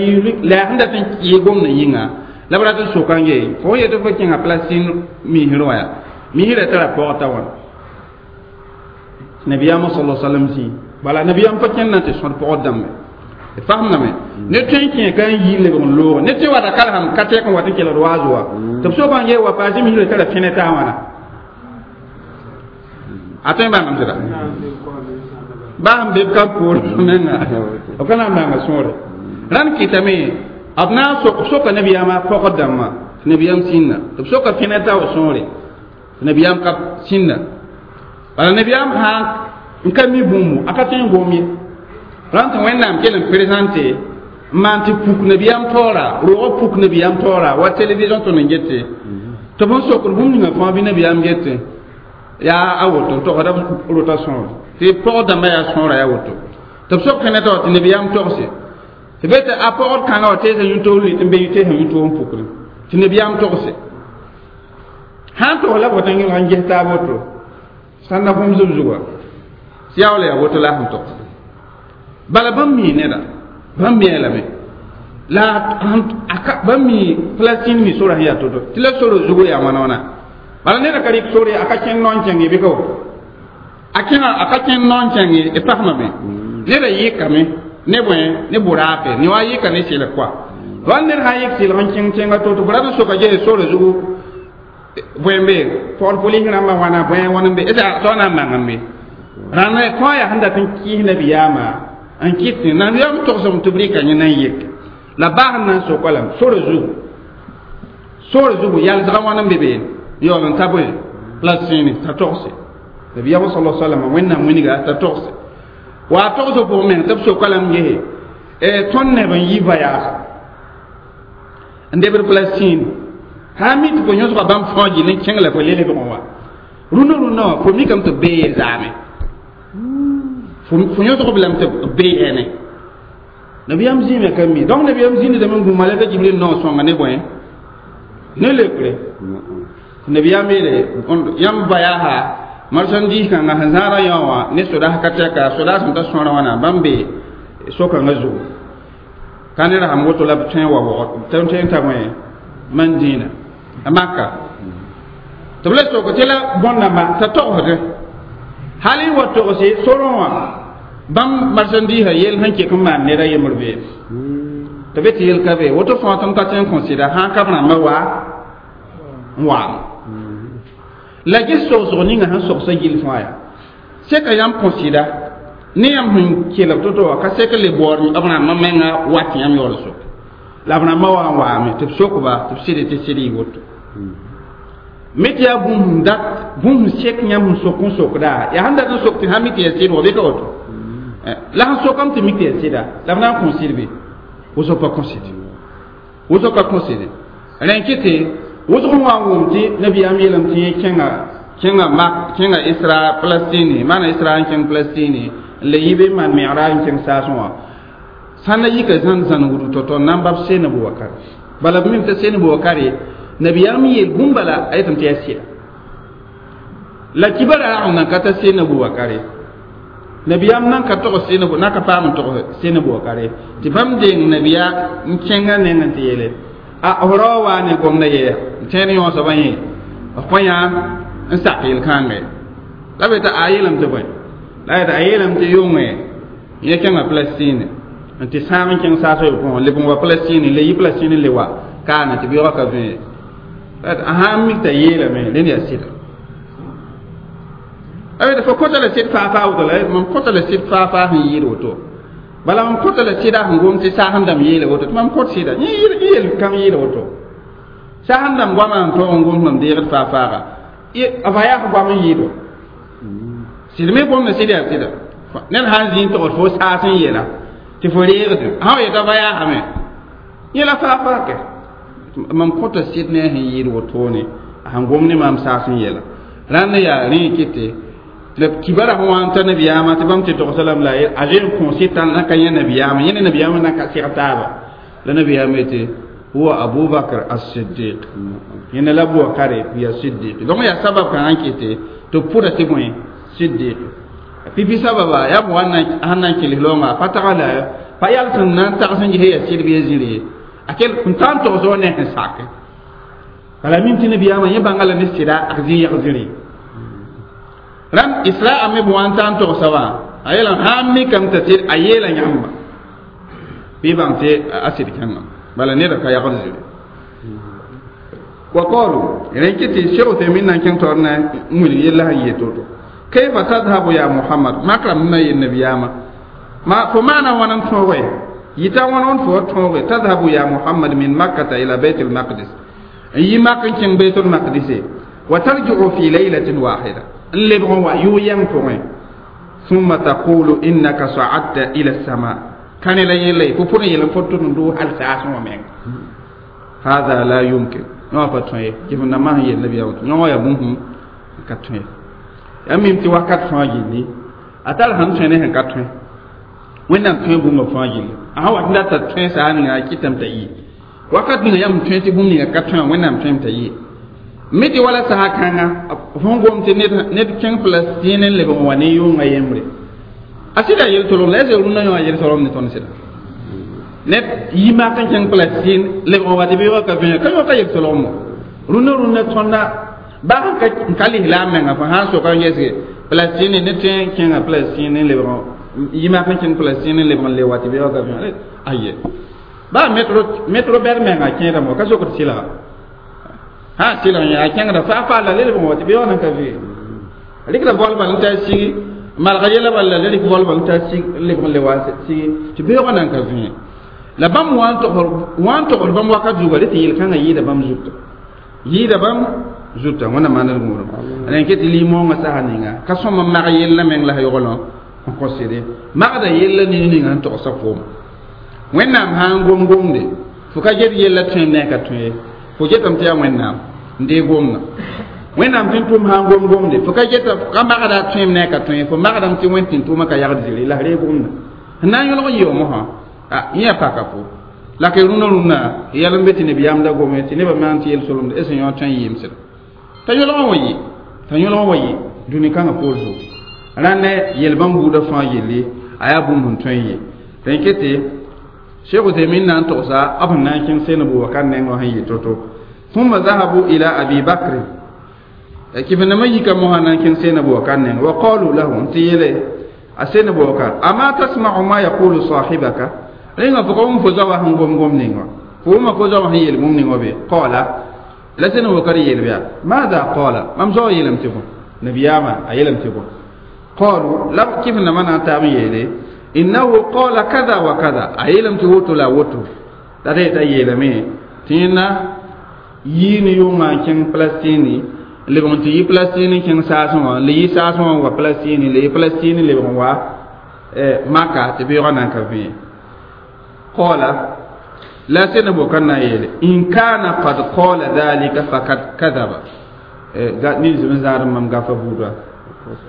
la yaa sẽn dat n kɩɩs gomdã yĩnga la b rat n soka n gee fo yetɩ fo kẽnga palestine misrẽ wã yaa misrã tara pɔgta wãna nabiyaamã sala sallam zĩ bala nabiyaam pa kẽnd na tɩ sõd pɔgd dãmbe d fasemdame ne tõe n kẽ ka n yi lebg n loog ne tɩ wata kalsam ka tɛk n wat n kelgd waaz wa tɩ b soka n gee wa paase misrã tara fẽne taa wãna a tõe n bãngame sɩda baa sẽn be b ka poor menga b ka na n bãnga sõore rãnd kɩtame b na n soka nabiyaamã pɔgd dãmbã tɩ nabiyaam sĩnda tɩ b soka fẽne tao sõore tɩ nabiyaam ka sĩnda bala nabiyaam sã n ka mi bũmbu a ka tõe n gom ye rãnd tɩ wẽnnaam kell n présente n maan tɩ puk nabiyaam taoora roogã puk nabiyaam taoora wa télévision tõnd n gete tɩ b n sokd bũmb ninga fãa bɩ nabiyaam gete yaa a woto n togsda rota sõor tɩ pɔgd dãmbã yaa sõora yaa woto tɩ b sok fẽne tao tɩ nabiyaam togse tɩ be tɩ a pɔgd kãngã wa teesa yũ-toog n be teesa yũ-toog n pukre tɩ nabiyaam togse sãn togs la bota n n ges taab woto sãn na bũmb zub zuga tɩ yaa wala yaa woto la a sẽn togs bala bãmb mii neda bãmb mi lame la bãmb mi palestine mi sora sẽn yaa to-to tɩ la soro zugu yaa wãna wãna bala neda ka rɩk sore a ka kẽnd noon kẽng ye bɩ ka woto a kẽnga a ka kẽnd noon kẽng ye d pasmame neda yɩkame ne bõe ne bʋraake ne wa yɩka ne sɩlg koa wal ned sã n yɩk sɩlg n kẽng tẽngã to-to b rat n soka ges sora zugu bõe n be pɔgd polis rãmbã wãna bõe wãn n be est ce na n bãng n be rãnd kõa yaa sẽn dat n kɩɩs nabiyaamã n kɩt nabiyaam togsem tɩ b rɩka yẽ na n yek la baas n na n soka lame sora zugu sora zugu yalsgã wãn n be beene yaool n ta bõe palestine t'a togse nabiyaam sala sallam wẽnnaam wĩnga t'a togse wa a togsg pʋgẽ meng tɩ b soka lame gese tõnd neb n yi voyage n debd palestine sã n mi tɩ fo yõsga bãmb fãa gill n kẽng la fo le lebg n wa rũnã rũnã wã fo mikame tɩ b bee ye zaame fo yõsg b lame tɩ b bee yɛne nabiyaam zĩime ka mi donc nabiyaam zĩndame n gũ malɛka jibril naoor sõnga ne bõe ne lekre nabiyaam yeele yãmb voyage marchandise kãngã sẽn zãada yã wã ne sodaas ka tɛka sodaas sẽn ta sõora wãna bãmb be so-kãngã zugu ka ned sãn woto la b tõe n wa waoog tõe n ta bõe mandĩinã a maka tɩ b la sok tɩ la bõn-dãmba t'a togsde hal n wa togse sorẽ wã bãmb marchandise yel sẽn kek n maan ned a yembr beem tɩ be tɩ yel ka be woto fãa tɩ m ka tõe n kõ sɩda sã n ka b rãmbã wa n waame la ges sogsg ninga sẽn sogsa gill fãa yaa seka yãmb kõ sɩda ne yãmb sẽn kelg to-to wã ka sek le baood b rãmbã menga wat yãmb yaool sok la b rãmbã wa n waame tɩ b sokba tɩ b sɩd tɩ sɩd y woto me tɩ yaa bũmb sẽn dat bũmb sẽn sek yãmb sẽn sok n sokda yaa sẽn dat n sok tɩ sã mi tɩ yaa sɩd wa bɩ ka woto la sẽn sokame tɩ mik tɩ yaa sɩda la b na n kõ sɩd be wʋsg pa kõ sɩd wʋsg ka kõ sɩd rẽn kɩ tɩ wʋsg n wa n wʋm tɩ nabiyaam yeelame tɩ yẽ kẽnga kẽnga mak kẽnga isra palestine maana isra n kẽng palestine n le yi be maan megra n kẽng saasẽ wã sãn na yika zãn zãn wudu tɔ-tɔ n na n bab seen bubakar bala b mim t'a seen bubakare nabiyaam yeel bũmb bala a yetame tɩ yaa sɩda la kibara nan ka ta seen bubakare nabiyaam nan ka tog seen na ka paam n tog seen bubakare tɩ bãmb deng nabiya n kẽngã nengẽ tɩ yeele a f rao waa ne gomda yɛ n tẽed yõosbã yẽ f kõ yã n sak yel-kãngẽ la be t'a a yeelame tɩ bõe la yetɩ a yeelame tɩ yʋngẽ yẽ kẽnga Palestine n tɩ sãag n kẽng saas yob pʋgẽ leb n wa Palestine le yi Palestine le wa kaana tɩ beoogã ka vẽ a sãn mik t'a yeelame rẽnd yaa sɩda a fo kõta la sɩd faa-faa woto la mam kõta la sɩd faa-faa sẽn yɩɩd woto bala mam kõta la sɩda sẽn gom tɩ saas n dãmb yeela woto tɩ mam kõt sɩda yẽ yel kãng yɩɩda woto saas n dãmb goamã n tõog n gom mam deegd faa-faaga a va yaa goam n yɩɩd wa sɩd me gomda sɩd yaa sɩda ned sãn zĩ n togd fo saas n yeela tɩ fo reegde sã wa yeta va yaasame yẽ la faa-faa kɛ mam kõta sɩd ne a sẽn yɩɩd wotone a sẽn gom ne maam saas n yeela rãnd yaa rẽ kɩte la kibara sẽn wa n ta nabiyaamã tɩ bãmb tɩ togsa lame la a zoe n kõ sɩd na ka yẽ nabiyaamã yẽ ne nabiyaamã na ka seg taaba la nabiyaamã yetɩ huwa Abu Bakr as-Siddiq yẽna la Abubakar ya Siddiq donc yaa sabab kãngã n kɩte tɩ b pʋda tɩ bõe Siddiq pipi sababa yaa bõe sẽn na n kelg loongã pa taga la pa yal sẽn na n tags n ges yaa sɩd bɩ ya zĩri ye a kell n ta n togs wa ne sẽn sake bala mim tɩ nabiyaamã yẽ bãnga la ne sɩda a zĩ yag zĩri rãmb israa me b wa n ta n togsa wã a yeelame sãn mikame t'a sɩd a yeela yãmba bɩ bãng tɩ a sɩd kẽngame bala neda ka yagd zĩri wa qalu rẽ kɩ tɩ Cheikh Uthaymin na n kẽng taoor na n wilg yella sẽn yeel to-to kayfa tadhabu ya Muhammad makram na yel nabiyaamã ma fo maana wãn n tõoge yita wãn n fo tõoge tadhabu ya Muhammad min makkata ila bayt al-maqdis n yi mak n kẽng bayt al-maqdis wa tarji'u fi laylatin wahida n lebg n wa yʋ-yɛng pʋgẽ thumma taqulu innaka sa'adta ila as-sama kane la yella ye fo pʋd n yel n fo tʋd n dʋʋ hal saasẽ wã meng hada la yumkin yõ pa tõe ye kɩf n na masẽn yel nabiyaamã tɩ yõ wã yaa bũmb n ka tõe ye yaa mim tɩ wakat fãa gilli a tar sẽn tõe ne sẽn ka tõe wẽnnaam tõe bũmba fãa gilli a sã wat n dat t'a tõe saa ninga a kɩtame t'a yɩ wakat ninga yãmb tõe tɩ bũmb ninga ka tõe wã wẽnnaam tõem t'a yɩ me tɩ wala saha kãnga fõn gom tɩ ned kẽng Palestine n leb n wa ne yʋnga yembre a sɩda yel-tolg la yaa rũnnã yõ a yel-solem ne tõnd sɩda ned yi mak n kẽng Palestine leb n wa tɩ beoogã ka vẽe ka yõ ka yel-solgmo rũnnã rũnnã tõnda baa sẽn ka lislaam menga fo sãn soka n yesge Palestine ne tõe n kẽnga Palestine n lebg yi mak n kẽng Palestine n lebg n le wa tɩ beoogã ka vẽe aye baa metro metro bɛd menga kẽedame wa ka sokd sɩlga ha sɩlg yẽ a kẽngda faa-faa la le lebg n wa tɩ beoogã nan ka vẽe rɩkda bol bal n taa sigi malga yɛla bal la rɩk bol bal n taa sig n lebg n le wa sigi tɩ beoogã nan ka vẽe la bãmb wã n togd bãmb wakat zuga rẽ tɩ yel-kãngã yɩɩda bãmb zuta yɩɩda bãmb zuta wẽnnaam maand d gũudum rẽn ket tɩ lim-moongã sasa ninga ka sõm n mag yella meng la yaoolẽ n kõ sɩde magda yella ning ninga sẽn togsa foom wẽnnaam sã n gom gomde fo ka get yella tõem ne a ka tõe ye fo getame tɩ yaa wẽnnaam n deeg gomdã wẽnnaam tɩ n tʋm sã n gom gomde fo ka geta ka magda a tõem ne a ka tõe ye fo magdame tɩ wẽnd tɩ n tʋʋmã ka yagd zĩri la f reeg gomdã sẽn na n yõlg n yɩ mosã a yẽ yaa paka fo la ka rũnã rũnã yɛl n be tɩ nabiyaam da gome tɩ nebã maan tɩ yel-solemd es n yõ tõe n yɩɩm sɩda t'a yõlg n wa yɩ t'a yõlg n wa yɩ dũni kãngã poor zugu rãnd yel bãmb buudã fãa yelle a yaa bũmb sẽn tõe n yɩ rẽn kete Cheikh Uthaymin na n togsa b sẽn na n kẽng seen Abubakar nengã sẽn yɩ to-to thumma zahabu ila Abi Bakr kɩf nambã yika mosã na n kẽng seen Abubakar nengã wa qalu lahu n tɩ yeele a seen Abubakar ama tasma'u ma yaqulu sahibaka rẽnga fo ka wʋm fo zaoã sẽn gom gom ning wã fo wʋma fo zaoã sẽn yeel bũmb ning wã be qala la seen Abubakar yeel bɩa maada qala mam zaoã yeelame tɩ bõe nabiyaamã a yeelame tɩ bõe qalu la kɩf nambã na n taab n yeele innahu qala kada wa kada a yeelame tɩ woto la woto la rẽ t'a yeelame tɩ yẽnna yii ne yʋngã n kẽng Palestine lebg n tɩ yi Palestine n kẽng saasẽ wã le yi saasẽ wã n wa Palestine le yi Palestine lebg n wa Maka tɩ beoogã nan ka vẽe qala la sẽn Abubakar na n yeele in kana qad qala dhalika fakad kadaba nins n zãadm mam gafa buudã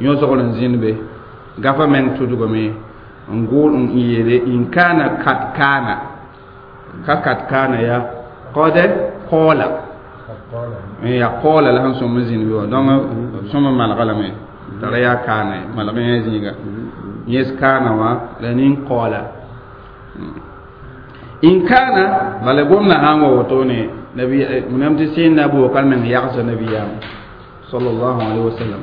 yõ-zogl n zĩnd be gafa meng tudgame n gʋʋl n yeele in kana kad kana ka kad kana ya qad qala ya qala la sẽn sõm n zĩnd be wã donc sõm n malga lame tara yaa kaana malg yẽ zĩiga yẽs kaana wã la nin qala in kana bala gomna sãn wa wotone nabi nam tɩ sẽn na Abubakar meng yagsa nabiyaam sallallahu alaihi wasallam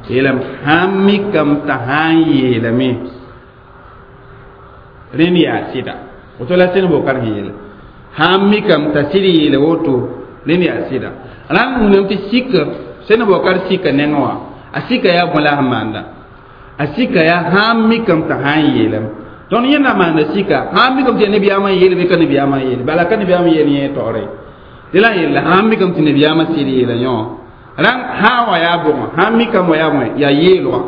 yeelame sãn mikame t'a sã n yeelame Rẽnd yaa sɩda woto la sẽn bokar sẽn yeele sãn mikame t'a sɩd yeele woto rẽnd yaa sɩda rãnd wũname tɩ sika sẽn bokar sika nengẽ wã a sika yaa bõe la a sẽn maanda a sika yaa sãn mikame t'a sã n yeelame tõnd yẽnda maanda sika sãn mikame tɩ yaa nebiyaamã n yeele bɩ ka nebiyaamã n yeele bala ka nebiyaamã yeel yẽ taoore tɩ la n yeela sãn mikame tɩ nebiyaamã sɩd yeela yõ rãng sã n wa yaa bʋgẽ sãn mikame wa yaa bõe yaa yeelgã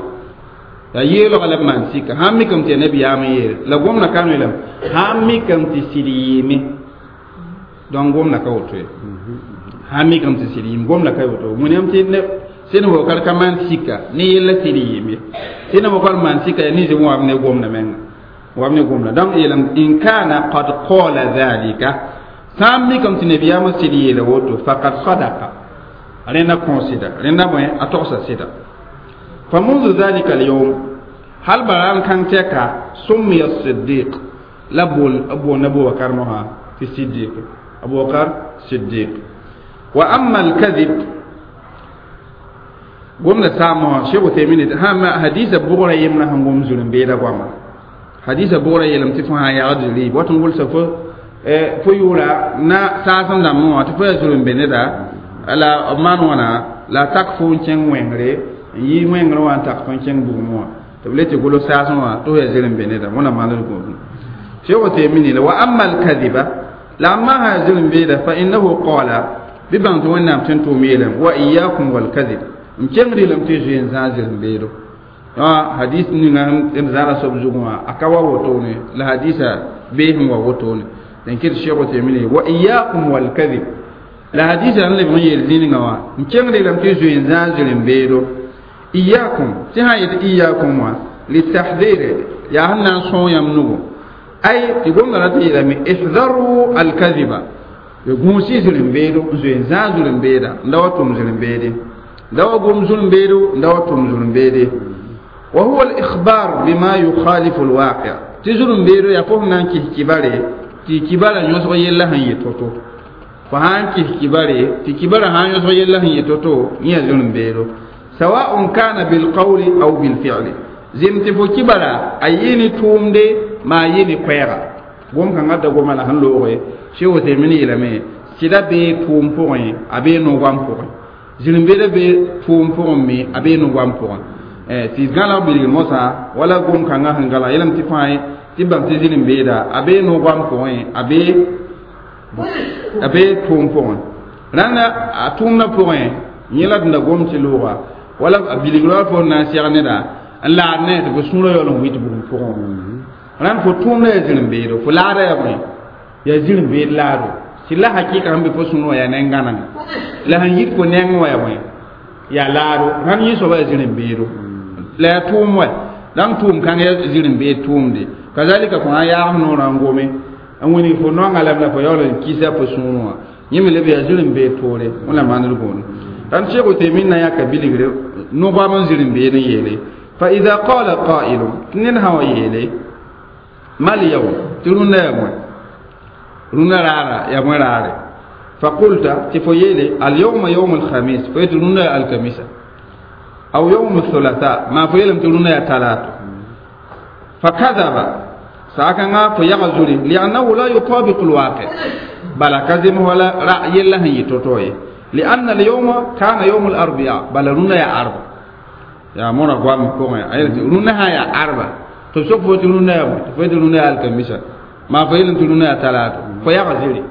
yaa yeelgã la b maan sika sãn mikame tɩ yaa nebiyaamã n yeele la gomdã ka yeelame sãn mikame tɩ sɩd yɩɩme donc gomdã ka woto ye sãn mikame tɩ sɩd yɩɩme gomdã ka woto wẽnnaam tɩ sẽn wakar ka maan sika ne yella sɩd yɩɩme sẽn wakar maan sika yaa ninsb wã b ne gomdã menga wa b ne gomdã donc yeelame in kana qad qala dhalika sãn mikame tɩ nebiyaamã sɩd yeela woto faqad sadaqa rẽnda kõ sɩda rẽnda bõe a togsa sɩda fa منذ ذلك اليوم hal bara n kãng tɛka summiya siddiq la bool boond abubakar mosã tɩ siddiq abubakar siddiq wa amma alkadib gomda saam mosã sheikh uthaymin hã hadisa bʋgra yembrã sẽn gom zulm-beeda goama hadisa bʋgra yeelame tɩ fo sã n yagd riib wat n gʋlsa fo fo yʋʋra na saas n dãmbẽ wã tɩ fo yaa zulm be neda la b maan wãna la a tak fo n kẽng wẽngre n yi wẽngr wã n tak fo n kẽng bugum wã tɩ b le tɩ gʋls saasẽ wã tɩ f yaa zɩrem be neda wẽna maand gũudum sheikh uthaymin yeela wa amma alkadiba la amma sã yaa zɩrem beeda fa innahu qala bɩ bãng tɩ wẽnnaam tõe n tʋʋm yeelame wa iyakum walkadib n kẽngd yeelame tɩ zoe n zãag zɩrem beedo hadis ninga d zãada soab zugẽ wã a ka wa wotone la hadisa bee sẽn wa wotone n kɩt sheikh uthaymin wa iyakum walkadib la hadisa n leb n yeel zĩningã wã n kẽngd yeelame tɩ zoe n zãag zɩrem beedo iyakum tɩ sã n yet iyakum wã litahdire yaa sẽn na n sõog yãmb nugu ay tɩ gomdã ra tɩ yeelame ihdaru alkadiba gũusi zĩrem beedo n zoe n zãag zulm beeda n da wa tʋm zĩrem beede da wa gom zulm beedo n da wa tʋm zulm beede wa huwa al-ikhbar bima yukhalifu al-waqi' tɩ zulm beedo yaa fo sẽn na n kis kibare tɩ kibara yõsg yella sẽn yɩ to-to fo sã n kis kibare tɩ kibara sã n yõsg yella sẽn yɩ to-to yẽ yaa zulm beedo sawa'un kana bilqawli aw bilfi'li zem tɩ fo kibara a yɩ ne tʋʋmde maa yɩ ne koɛɛga gom kãngã da goma la sẽn looge Sheikh Uthaymin yeelame sɩda bee tʋʋm pʋgẽ a bee no-goam pʋgẽ zĩrĩ-beeda bee tʋʋm pʋgẽ me a bee no-goam pʋgẽ tɩ gãlag bilgr mosã wala gom kãngã sẽn gãlag yeelame tɩ fãa tɩ bãmb tɩ zĩrĩ-beeda a bee no-goam pʋgẽ a bee a bee tʋʋm pʋgẽ rãnda a tʋʋmdã pʋgẽ yẽ la d da gom tɩ looga wala a bilgr wa fo n na n sɛg neda n laad ne tɩ fo sũurã yaool n wɩt bugum pʋgẽ rãnd fo tʋʋmdã yaa zĩrĩ-beedo fo laada yaa bõe yaa zĩrĩ-beed laado tɩ la hakɩka sẽn be fo sũurã wã yaa neng-gãnega la sẽn yit fo nengẽ wã yaa bõe yaa laado rãnd yẽ soaba yaa zĩrĩ-beedo la yaa tʋʋm wa dãng tʋʋm kãng yaa zĩrĩ-beed tʋʋmde kazalika fo sã yaag noorã n gome n wilg fo noanga lame la fo yaool n kisa fo sũurẽ wã yẽ me leb yaa zĩrĩ-beed toore wẽnnaam maand d gũudum rãnd Sheikh Uthaymin na yãka bilgre no-goam n zĩrĩ-beed n yeele fa ida qala qailun tɩ ned sã wa yeele mal yawm tɩ rũndã yaa bõe rũndã raara yaa bõe raare fa qulta tɩ fo yeele alyawma yawm alkhamis fo yetɩ rũndã yaa alkamisa aw yawm althulatha maa fo yeelame tɩ rũndã yaa talato fa kadaba saakãngã fo yaga zuri liannahu la yutabiqu alwaqi bala ka zem wala ra yella sẽn yɩ to-to ye lianna alyawma kana yawm alarbia bala rũndã yaa arba yaa mõra goam pʋgẽ a yel tɩ rũndã sã yaa arba tɩ b sok fo tɩ rũndã yaa bõe tɩ fo yetɩ rũndã yaa alkamisa maa fo yeelame tɩ rũndã yaa talato fo yaga ziri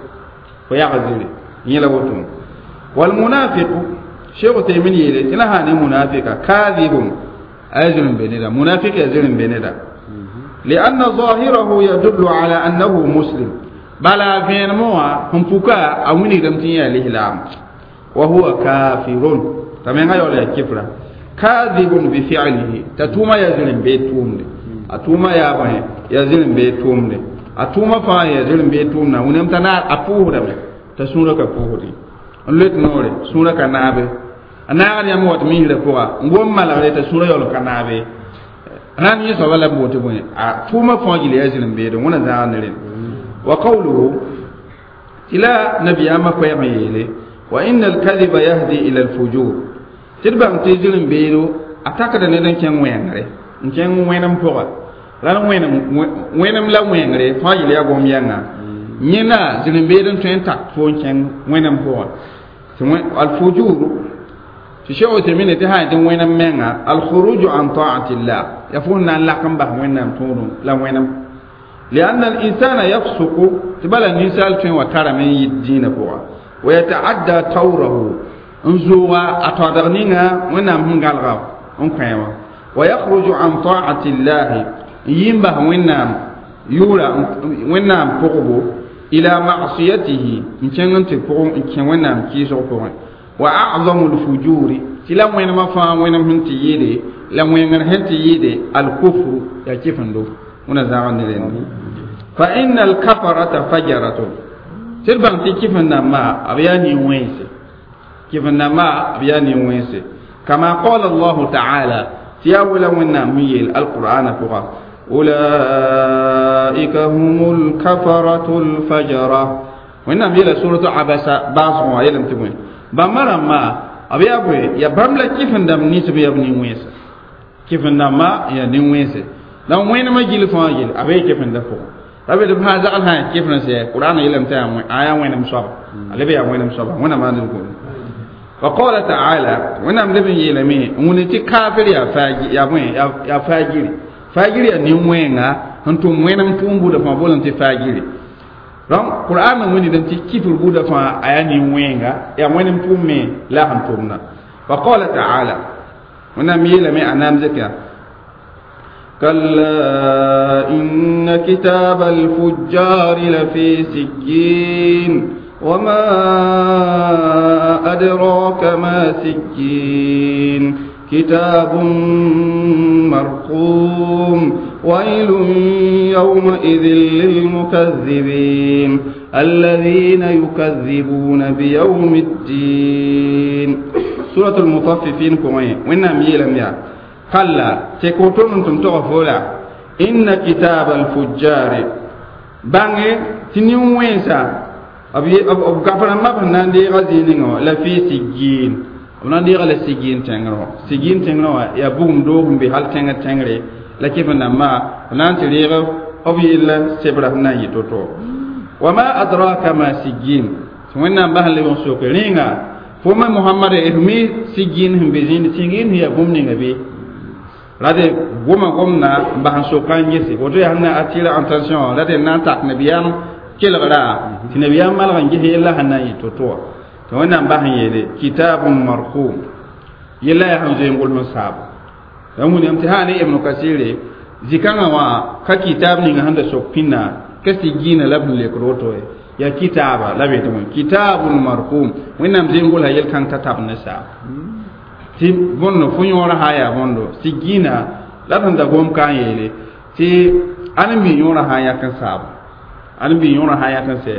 fo yaga ziri yẽ la woto walmunafiqu sheikh Uthaymin yeele tɩ la sã ne munafika kadibun a yaa zĩrĩ be neda munafik yaa zĩrĩ be neda lianna zahirahu yadullu ala annahu muslim bala vẽenemẽ wã sẽn puka a wilgdame tɩ yẽ yaa lislaam wa huwa kafirun t'a menga yaool yaa kifra kadibun bi fi'lihi t'a tʋʋma yaa zĩrĩ beed tʋʋmde a tʋʋma yaa bõe yaa zĩrĩ beed tʋʋmde a tʋʋma fãa yaa zĩrĩ beed tʋʋmda wẽnnaam t'a naar a pʋʋsdame t'a sũurã ka pʋʋsdẽ n loet noore sũurã ka naabe a naagd yãmb wat misrã pʋga n gom malgre t'a sũurã yaool ka naabe rãnd yẽ soaba la b boot bõe a tʋʋma fãa gil yaa zĩrĩ beede wẽna zãag ne rẽnd wa qawluhu tɩ la nabiyaamã koɛɛg n yeele wa inna alkadiba yahdi ila alfujur tɩ d bãng tɩ zĩrĩ beedo a takda ned n kẽng wẽengre n kẽng wẽnem pʋga La wẽnem wẽnem la wẽngre fãa yel yaa gom yãnga yẽna zĩr-n-beed n tõe n tak fo n kẽng wẽnem pʋgẽ tɩ alfujur tɩ Cheikh Uthaymin tɩ sã tɩ wẽnem menga alkhuruju an taatillah ya fo na n lak n bas wẽnnaam tũudum la wẽnem لأن الإنسان يفسق تبلا الإنسان تين وترى من الدين بوا ويتعدى طوره انزوغا أتودغنينا ونام هنغالغا انكويما ويخرج عن طاعة الله ينبه ونام يورا ونام فقبو إلى معصيته إن كان تفقو إن كان ونام كيسو فقو وأعظم الفجور تلا وين ما فا وين من تيدي لا وين هن تيدي الكفر يا كيف ندو هنا زاغن لين فإن الكفرة فجرة تلبان تي كيف ما أبياني وينسي كيف ما أبياني وينسي كما قال الله تعالى تياولا ونا ميل القرآن فقا أولئك هم الكفرة الفجرة ونا ميل سورة عبسة باصوا يلم تبوين بمرة ما أبي أبوي يا باملا كيف ندم نيس بيبني وينسي كيف ما يا نيوينسي la wẽnem a gil fãa yel a bee kefẽnda pʋgẽ la be tɩ fãa zagl sã kefẽ sɛ qur'an yeelame tɩ a yaa wẽnem soaba a leb yaa wẽnem soaba wẽnnaam maan d gomda wa qala taala wẽnnaam leb n yeelame n wʋne tɩ kaafir yaa faagi yaa bõe yaa faagiri faagiri yaa nin-wẽnga sẽn tʋm wẽnem tʋʋm buudã fãa boolame tɩ faagiri donc qur'an wẽndame tɩ kifr buudã fãa a yaa nin-wẽnga yaa wẽnem tʋʋm me la sẽn tʋmda wa qala taala wẽnnaam yeelame a naam zeka كلا إن كتاب الفجار لفي سجين وما أدراك ما سجين كتاب مرقوم ويل يومئذ للمكذبين الذين يكذبون بيوم الدين سورة المطففين كوين وإنهم يلم يا كلا تكوتون تم إن كتاب الفجار بانge تنين وينسا أبي أب أب كفر ما بنان دي غزينينغو لا في سجين بنان دي غلا سجين تنغرو سجين تنغرو يا بوم دوم بحال تنغ تنغري لا كيف نما بنان تريغ أبي إلا سبرا بنان يتوتو وما أدراك ما سجين وين بهل لبون سوق رينغا فما محمد إرمي سجين هم بزين سجين هي بوم نيغا la de goma gomna n bas n soka n gese woto yaa sẽn na attirer attention la de na n tak nabiyaam kelgra tɩ nabiyaam malg n ges yella sẽn na n yɩ to-to wã tɩ wẽnnaam bas n yeele kitabun marqum yella yaa sẽn zoe n gʋls n saabo la wĩname tɩ sã ne ibnu kasire zĩ-kãngã wã ka kitab ninga sẽn da sok pĩnna ka sigiina la b sẽn lekd woto ye yaa kitaaba la be tɩ wẽ kitabun marqum wẽnnaam zoe n gʋlsa yel-kãng t'a tab ne saabo tɩ bõndo fo yõora sã yaa bõndo sigina la sẽn da gom ka n yeele tɩ ãdem-bi yõora sã n yak n saabo ãdem-bi yõora sã n yak n sɛ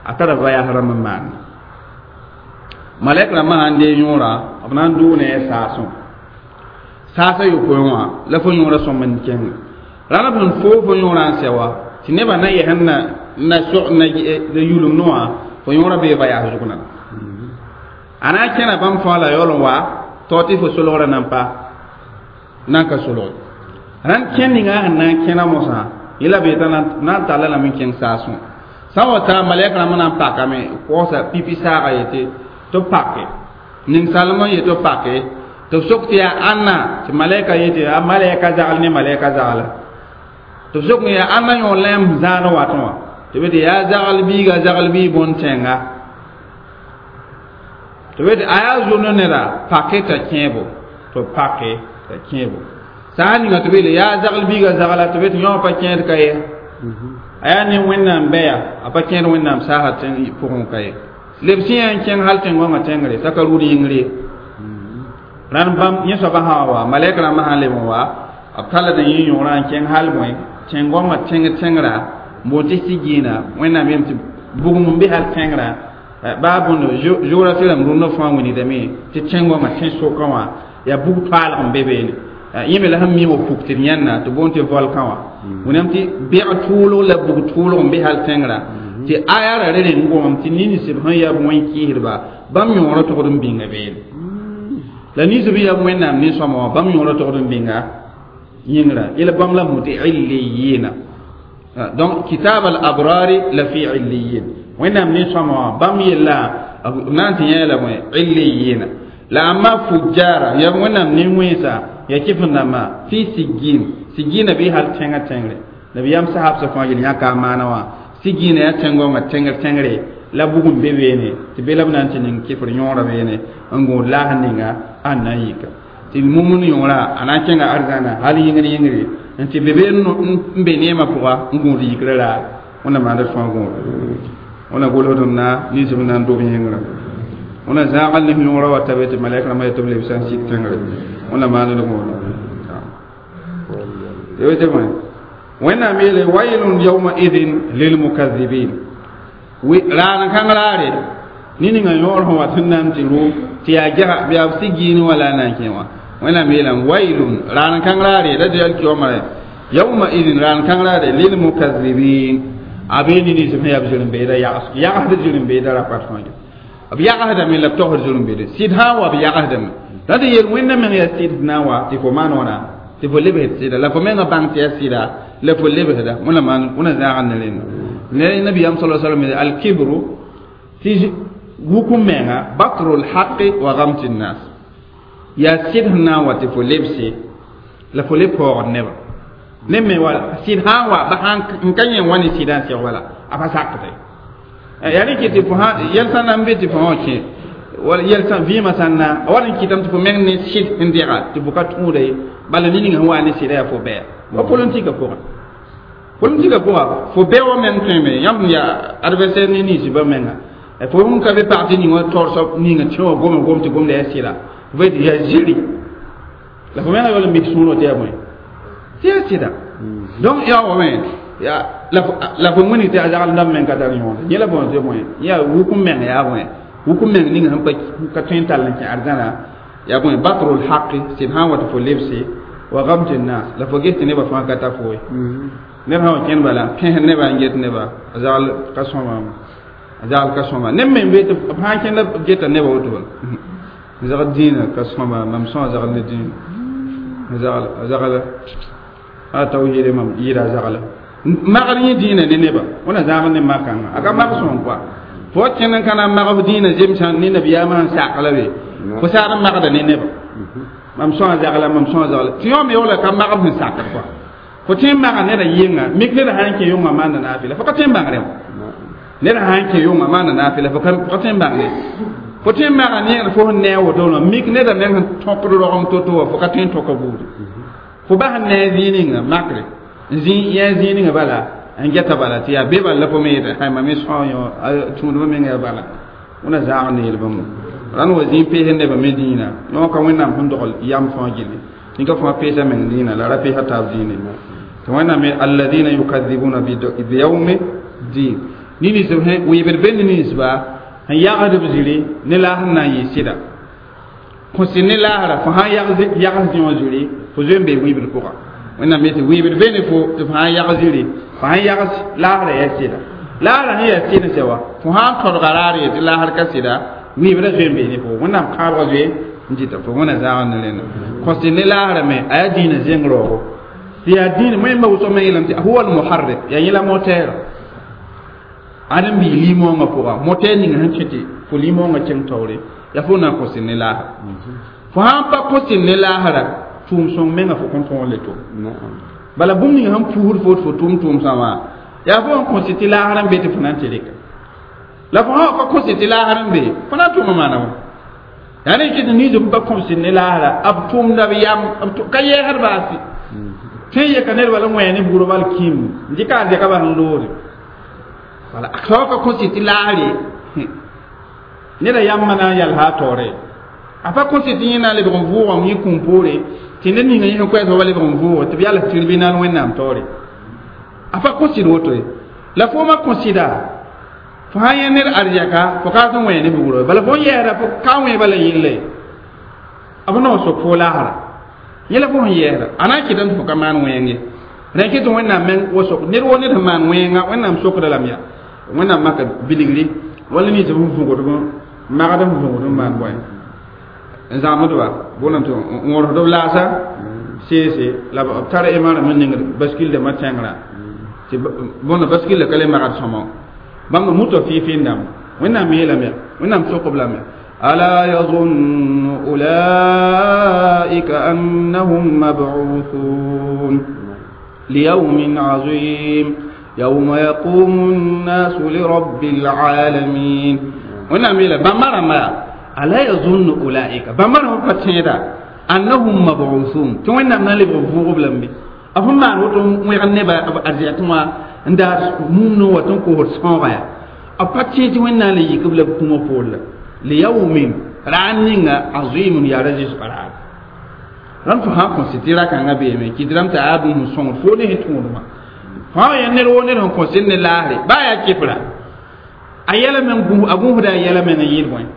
a tara vayas rãmb n maane malɛk rãmbã sãn dee yõora b na n dʋʋ ne a saasẽ saasã yopoe wã la fo yõora sõmb n kẽnga rãnd b sẽn foo fo yõora n sɛ wa tɩ nebã na yɛsẽn na na sog na yulumd wã fo yõora bee vayas zug na a na n kẽna bãmb fãa la yaool n wa tao tɩ fo solgrã nan pa nan ka solg rãnd kẽn ninga sẽn na n kẽna mosã yẽla bee t'a na n talla lame n kẽng saasẽ sã n wa taa malɛk rãmb na n pakame kosa pipi saaga yetɩ tɩ b pake ninsalem n yetɩ b pake tɩ b sok tɩ yaa ãnna tɩ malɛka yetɩ a malɛka zagl ne malɛka zagla tɩ b sok n yaa ãnna yõ lɛm zãad watẽ wã tɩ b tɩ yaa zagl biiga zagl bii bõn-tẽnga tɩ b tɩ a yaa zono neda pake t'a kẽebo tɩ b pake t'a kẽebo sã n ninga tɩ b yeele yaa zagl biiga zagla tɩ b tɩ yõ pa kẽed ka ye a yaa ne wẽnnaam bɛya a pa kẽed wẽnnaam saasa tẽng pʋgẽ ka ye leb sẽ yaa n kẽng hal tẽn-goangã tẽngre t'a ka rʋʋd yĩngr ye rãnd bãmb yẽ soabã sã wa malɛk rãmbã sã n leb n wa b talld n yẽ yõorã n kẽng hal bõe tẽn-goangã tẽng tẽngra n boond tɩ sigiina wẽnnaam yeem tɩ bugum n be hal tẽngrã baa bõndo géographie rãmb rũndã fãa wĩnigdame tɩ tẽn-goangã tẽn-sokã wã yaa bug toaalg n be beene yẽ me la sẽn miime puk tɩ d yãnna tɩ boond tɩ volcan wã wẽnnaam tɩ bɛg tʋʋlg la bug tʋʋlg n be hal tẽngrã tɩ aya ra re reng gomam tɩ ninsb sẽn yaa wẽn-kɩɩsdba bãmb yõorã togd n bĩnga beene la ninsb yaa wẽnnaam nin-sõma wã bãmb yõorã togd n bĩnga yĩngrã yẽla bãmb la mut illiyina donc kitab al abrari la fi illiyin wẽnnaam nin-sõama wã bãmb yella b na n tɩ yã la bõe illiyina la amma fujjara ya wẽnnaam nin-wẽnsa ya kɩf n dãmbã fi siggin siggina bɩ hal tẽngã tẽngre nabiyam sahab sa fãa yel yãka a maana wã siggina yaa tẽn-goongã tẽngr tẽngre la bugum be beene tɩ be la b na n tɩ ning kɩfr yõora beene n gũud laas ninga a na n yika tɩ mumn yõora a na n kẽnga arzãna hal yĩngr yĩngre n tɩ be be n be neemã pʋga n gũud yikrã raar wẽnna maanda sõa gũud wẽnna gʋlsdem na ninsb na n dob yĩngrã wẽnna zãagl ne yõora wa ta be tɩ malɛk rãmbã yetɩ b lebsa n sik tẽngre wẽnna maand gũud tɩ bõe wẽnnaam yeele wailun yawma idin lilmukadhibin raan kãng raare ne ninga yõor sẽn wat n na n tɩ rʋ tɩ yaa gɛsa bɩ yaa b sig-giine wã la a na n kẽ wã wẽnnaam yeelame wailun raan kãng raare la dɩ alkiyooma yawma idin raan kãng raare lilmukadhibin a bee ne nins sẽn yaa b zirẽ-beeda yags yagsd zirẽ-beeda rapat fãa b yagsdame la b togsd zirẽ-beede sɩd sã n wa b yagsdame la tɩ yel wẽnna meng yaa sɩd na n wa tɩ fo maan wãna tɩ fo lebsd sɩda la fo menga bãng tɩ yaa sɩda la fo lebsda wẽna maan wẽna zãagd ne rẽnda ne nabiyam sallallahu alaihi wasallam al-kibru tɩ wukum menga batrul haqqi wa ghamti nas ya sɩd sẽn na n wa tɩ fo lebse la fo le paoogd nebã ne me wala sɩd sã n wa ba sãn n ka yẽ wa ne sɩdã n seg wala a pa sakde yaa rẽ kɩ tɩ fo sã yɛl sã na n be tɩ fo wã kẽ wala yɛl sã vɩɩmã sã na a wat n kɩtame tɩ fo meng ne sɩd sẽn dɛga tɩ fo ka tũuda ye bala ne ninga sẽn wa ne sɩda yaa fo bɛɛ wa politika pʋgã politika pʋga fo bɛ wa meng tõeme yãmb yaa adversaire ne ninsbã menga fo sẽn ka be parti ning wã taoor soab ninga tẽ wã gome gom tɩ gomda yaa sɩda fo tɩ yaa ziri la fo menga yaool n mik sũurã tɩ yaa bõe tɩ yaa sɩda donc yaa wa me la fo wĩnig tɩ a zagl ndãmb meng ka tar yõode yẽ la bõe tɩ bõe yaa wukum meng yaa bõe wukum meng ning sẽn ka tõe n tall n kẽ arzãna yaa bõe batrul haqi sɩd sã n wa tɩ fo lebse wa gamti nas la fo ges tɩ nebã fãa ka ta fo ye ned sã wa kẽnd bala pẽs nebã n get neba a zagl ka sõma a zagl ka sõma neb me n be tɩ b sã n kẽnda b geta nebã woto bala zagl dĩinã ka sõma mam sõa zagl ne dĩinã zagl a zagl a tawhiide mam yɩɩda a zagla magd yẽ dĩinã ne neba wẽna zãag ne makãngã a ka mag sõm koa fo wa kẽnd n ka na n mag f dĩinã zemsã ne nabiyaamã sẽn sak la be fo saad n magda ne neba mam sõa zagla mam sõa zagla tɩ yõ me yaoola ka mag f sẽn sakd koa fo tõe n maga neda yɩnga mik neda sã n kẽ yʋngã maanda naafɩla fo ka tõe n bãngre wã neda sã n kẽ yʋngã maanda naafɩla fo ka tõe n bãngre fo tõe n maga neer fo sẽn ne a woto wã mik neda meng sẽn tõkd rogem to-to wã fo ka tõe n tõka buudi fo bas n ne a zĩig ninga makre n zĩ yã zĩig ninga bala n geta bala tɩ yaa be bala la fo me yeta hay mam me sõa yõ tũudmã menga yaa bala wẽna zãag ne yel bãmba rãnd wa zĩig pees nebã me dĩinã yõ ka wẽnnaam sẽn dogl yam fãa gilli tɩ ka fãa peesa meng dĩinã la ra peesa taab dĩine tɩ wẽnnaam me alladina yukadibuna biyawmi din ne ninsb wɩɩbd be ne ninsba sẽn yagsd b ziri ne laas n na n yɩ sɩda kõsɩ ne laasra fo sã n yags zĩ wã ziri fo zoe n bee wɩɩbd pʋga wẽnnaam yetɩ wɩɩbd be ne fo tɩ fo sã n yags ziri fo sã n yags laasra yaa sɩda laasra sẽn yaa sɩd n sɛ wa fo sã n tõdga raar ye tɩ laasr ka sɩda wɩɩbda zoe n bee ne fo wẽnnaam kãabga zoe n dɩta fo wẽna zãag ne rẽnda kõsɩ ne laasra me a yaa dĩinã zẽng raoogo tɩ yaa dĩin wẽmba wʋsg me yeelame tɩ huwa almuharrik yaa yẽla moteera ad n bii limõongã pʋga moteer ninga sẽn kẽ tɩ fo limõongã kẽng taoore yaa fo na n kõsɩ ne laasra fo sã n pa kõsɩ ne laasra tʋʋm sõng menga fo kõn tõog le tʋm bala bũmb ninga sẽn puusd fo tɩ fo tʋʋm tʋʋm-sã wã yaa fo n kõsɩ tɩ laasr n be tɩ fo na n tɩ rɩka la fo sã pa kõsɩ tɩ laasr n be fo na n tʋma maana wã yaa rẽ kɩ tɩ ninsb n pa kõsɩ ne laasra b tʋʋmda b yam ka yɛɛsd baasi tõe n yeka ned bala n wẽ ne bugrã bal kĩim n dɩka a zɛka bas n loore wala a sao ka kõsɩ tɩ laasre neda yãmba na n yalsa a taoore a pa kõsɩ tɩ yẽ na n lebg n vʋʋgame yẽ kũum poore tɩ ned ninga yẽ sẽn koɛɛs wa lebg n vʋʋge tɩ b yals tribunal wẽnnaam taoore a pa kõsɩd woto ye la foomã kõsɩda fo sã n yẽ ned arzɛka fo ka sẽn wẽ ne bugrã bala fo n yɛɛsda fo ka wẽ bala yella ye b naoor sok fo laasra yẽ la fo sẽn yɛɛsda a na n kɩtame tɩ fo ka maan wẽng ye rẽ kɩ tɩ wẽnnaam meng wa sok ned wo ned sẽn maan wẽnga wẽnnaam sokda lame yaa wẽnnaam maka bilgri wala nins sẽn võgdb magd sẽn võgd n maan bõe n zãmsdba boolame tɩ n wõrsd b laasa Sese la b tar ema rãmb n ningd baskil dãmbã tẽngrã tɩ bõn baskil la ka le magd sõma bãmb muta fɩ-fɩ n dãmb wẽnnaam yeelame wẽnnaam sok-b lame ألا يظن أولئك أنهم مبعوثون ليوم عظيم يوم يقوم الناس لرب العالمين ونعم إلى بمرة ما ألا يظن أولئك بمرة فتيدا أنهم مبعوثون توين نعم نلي بفوق بلمبي أفهم ما نوتم ويغني بأرجعتما عند ممنو وتنكو سونغا أبتشي توين نالي يقبل بكم فول ليوم رانينغا عظيم يا رجل قرار ram fo sã kõ sɩ tɩ ra-kãngã beeme kɩt rãmb t'a yaa bũmb sõngr fo ne sẽn tũudmã fãa ya ned woo ned sẽn kõ sɩd ne laasre baa yaa kɩfra a yɛla meng a gũusda a yɛla meng n yɩɩd bõe n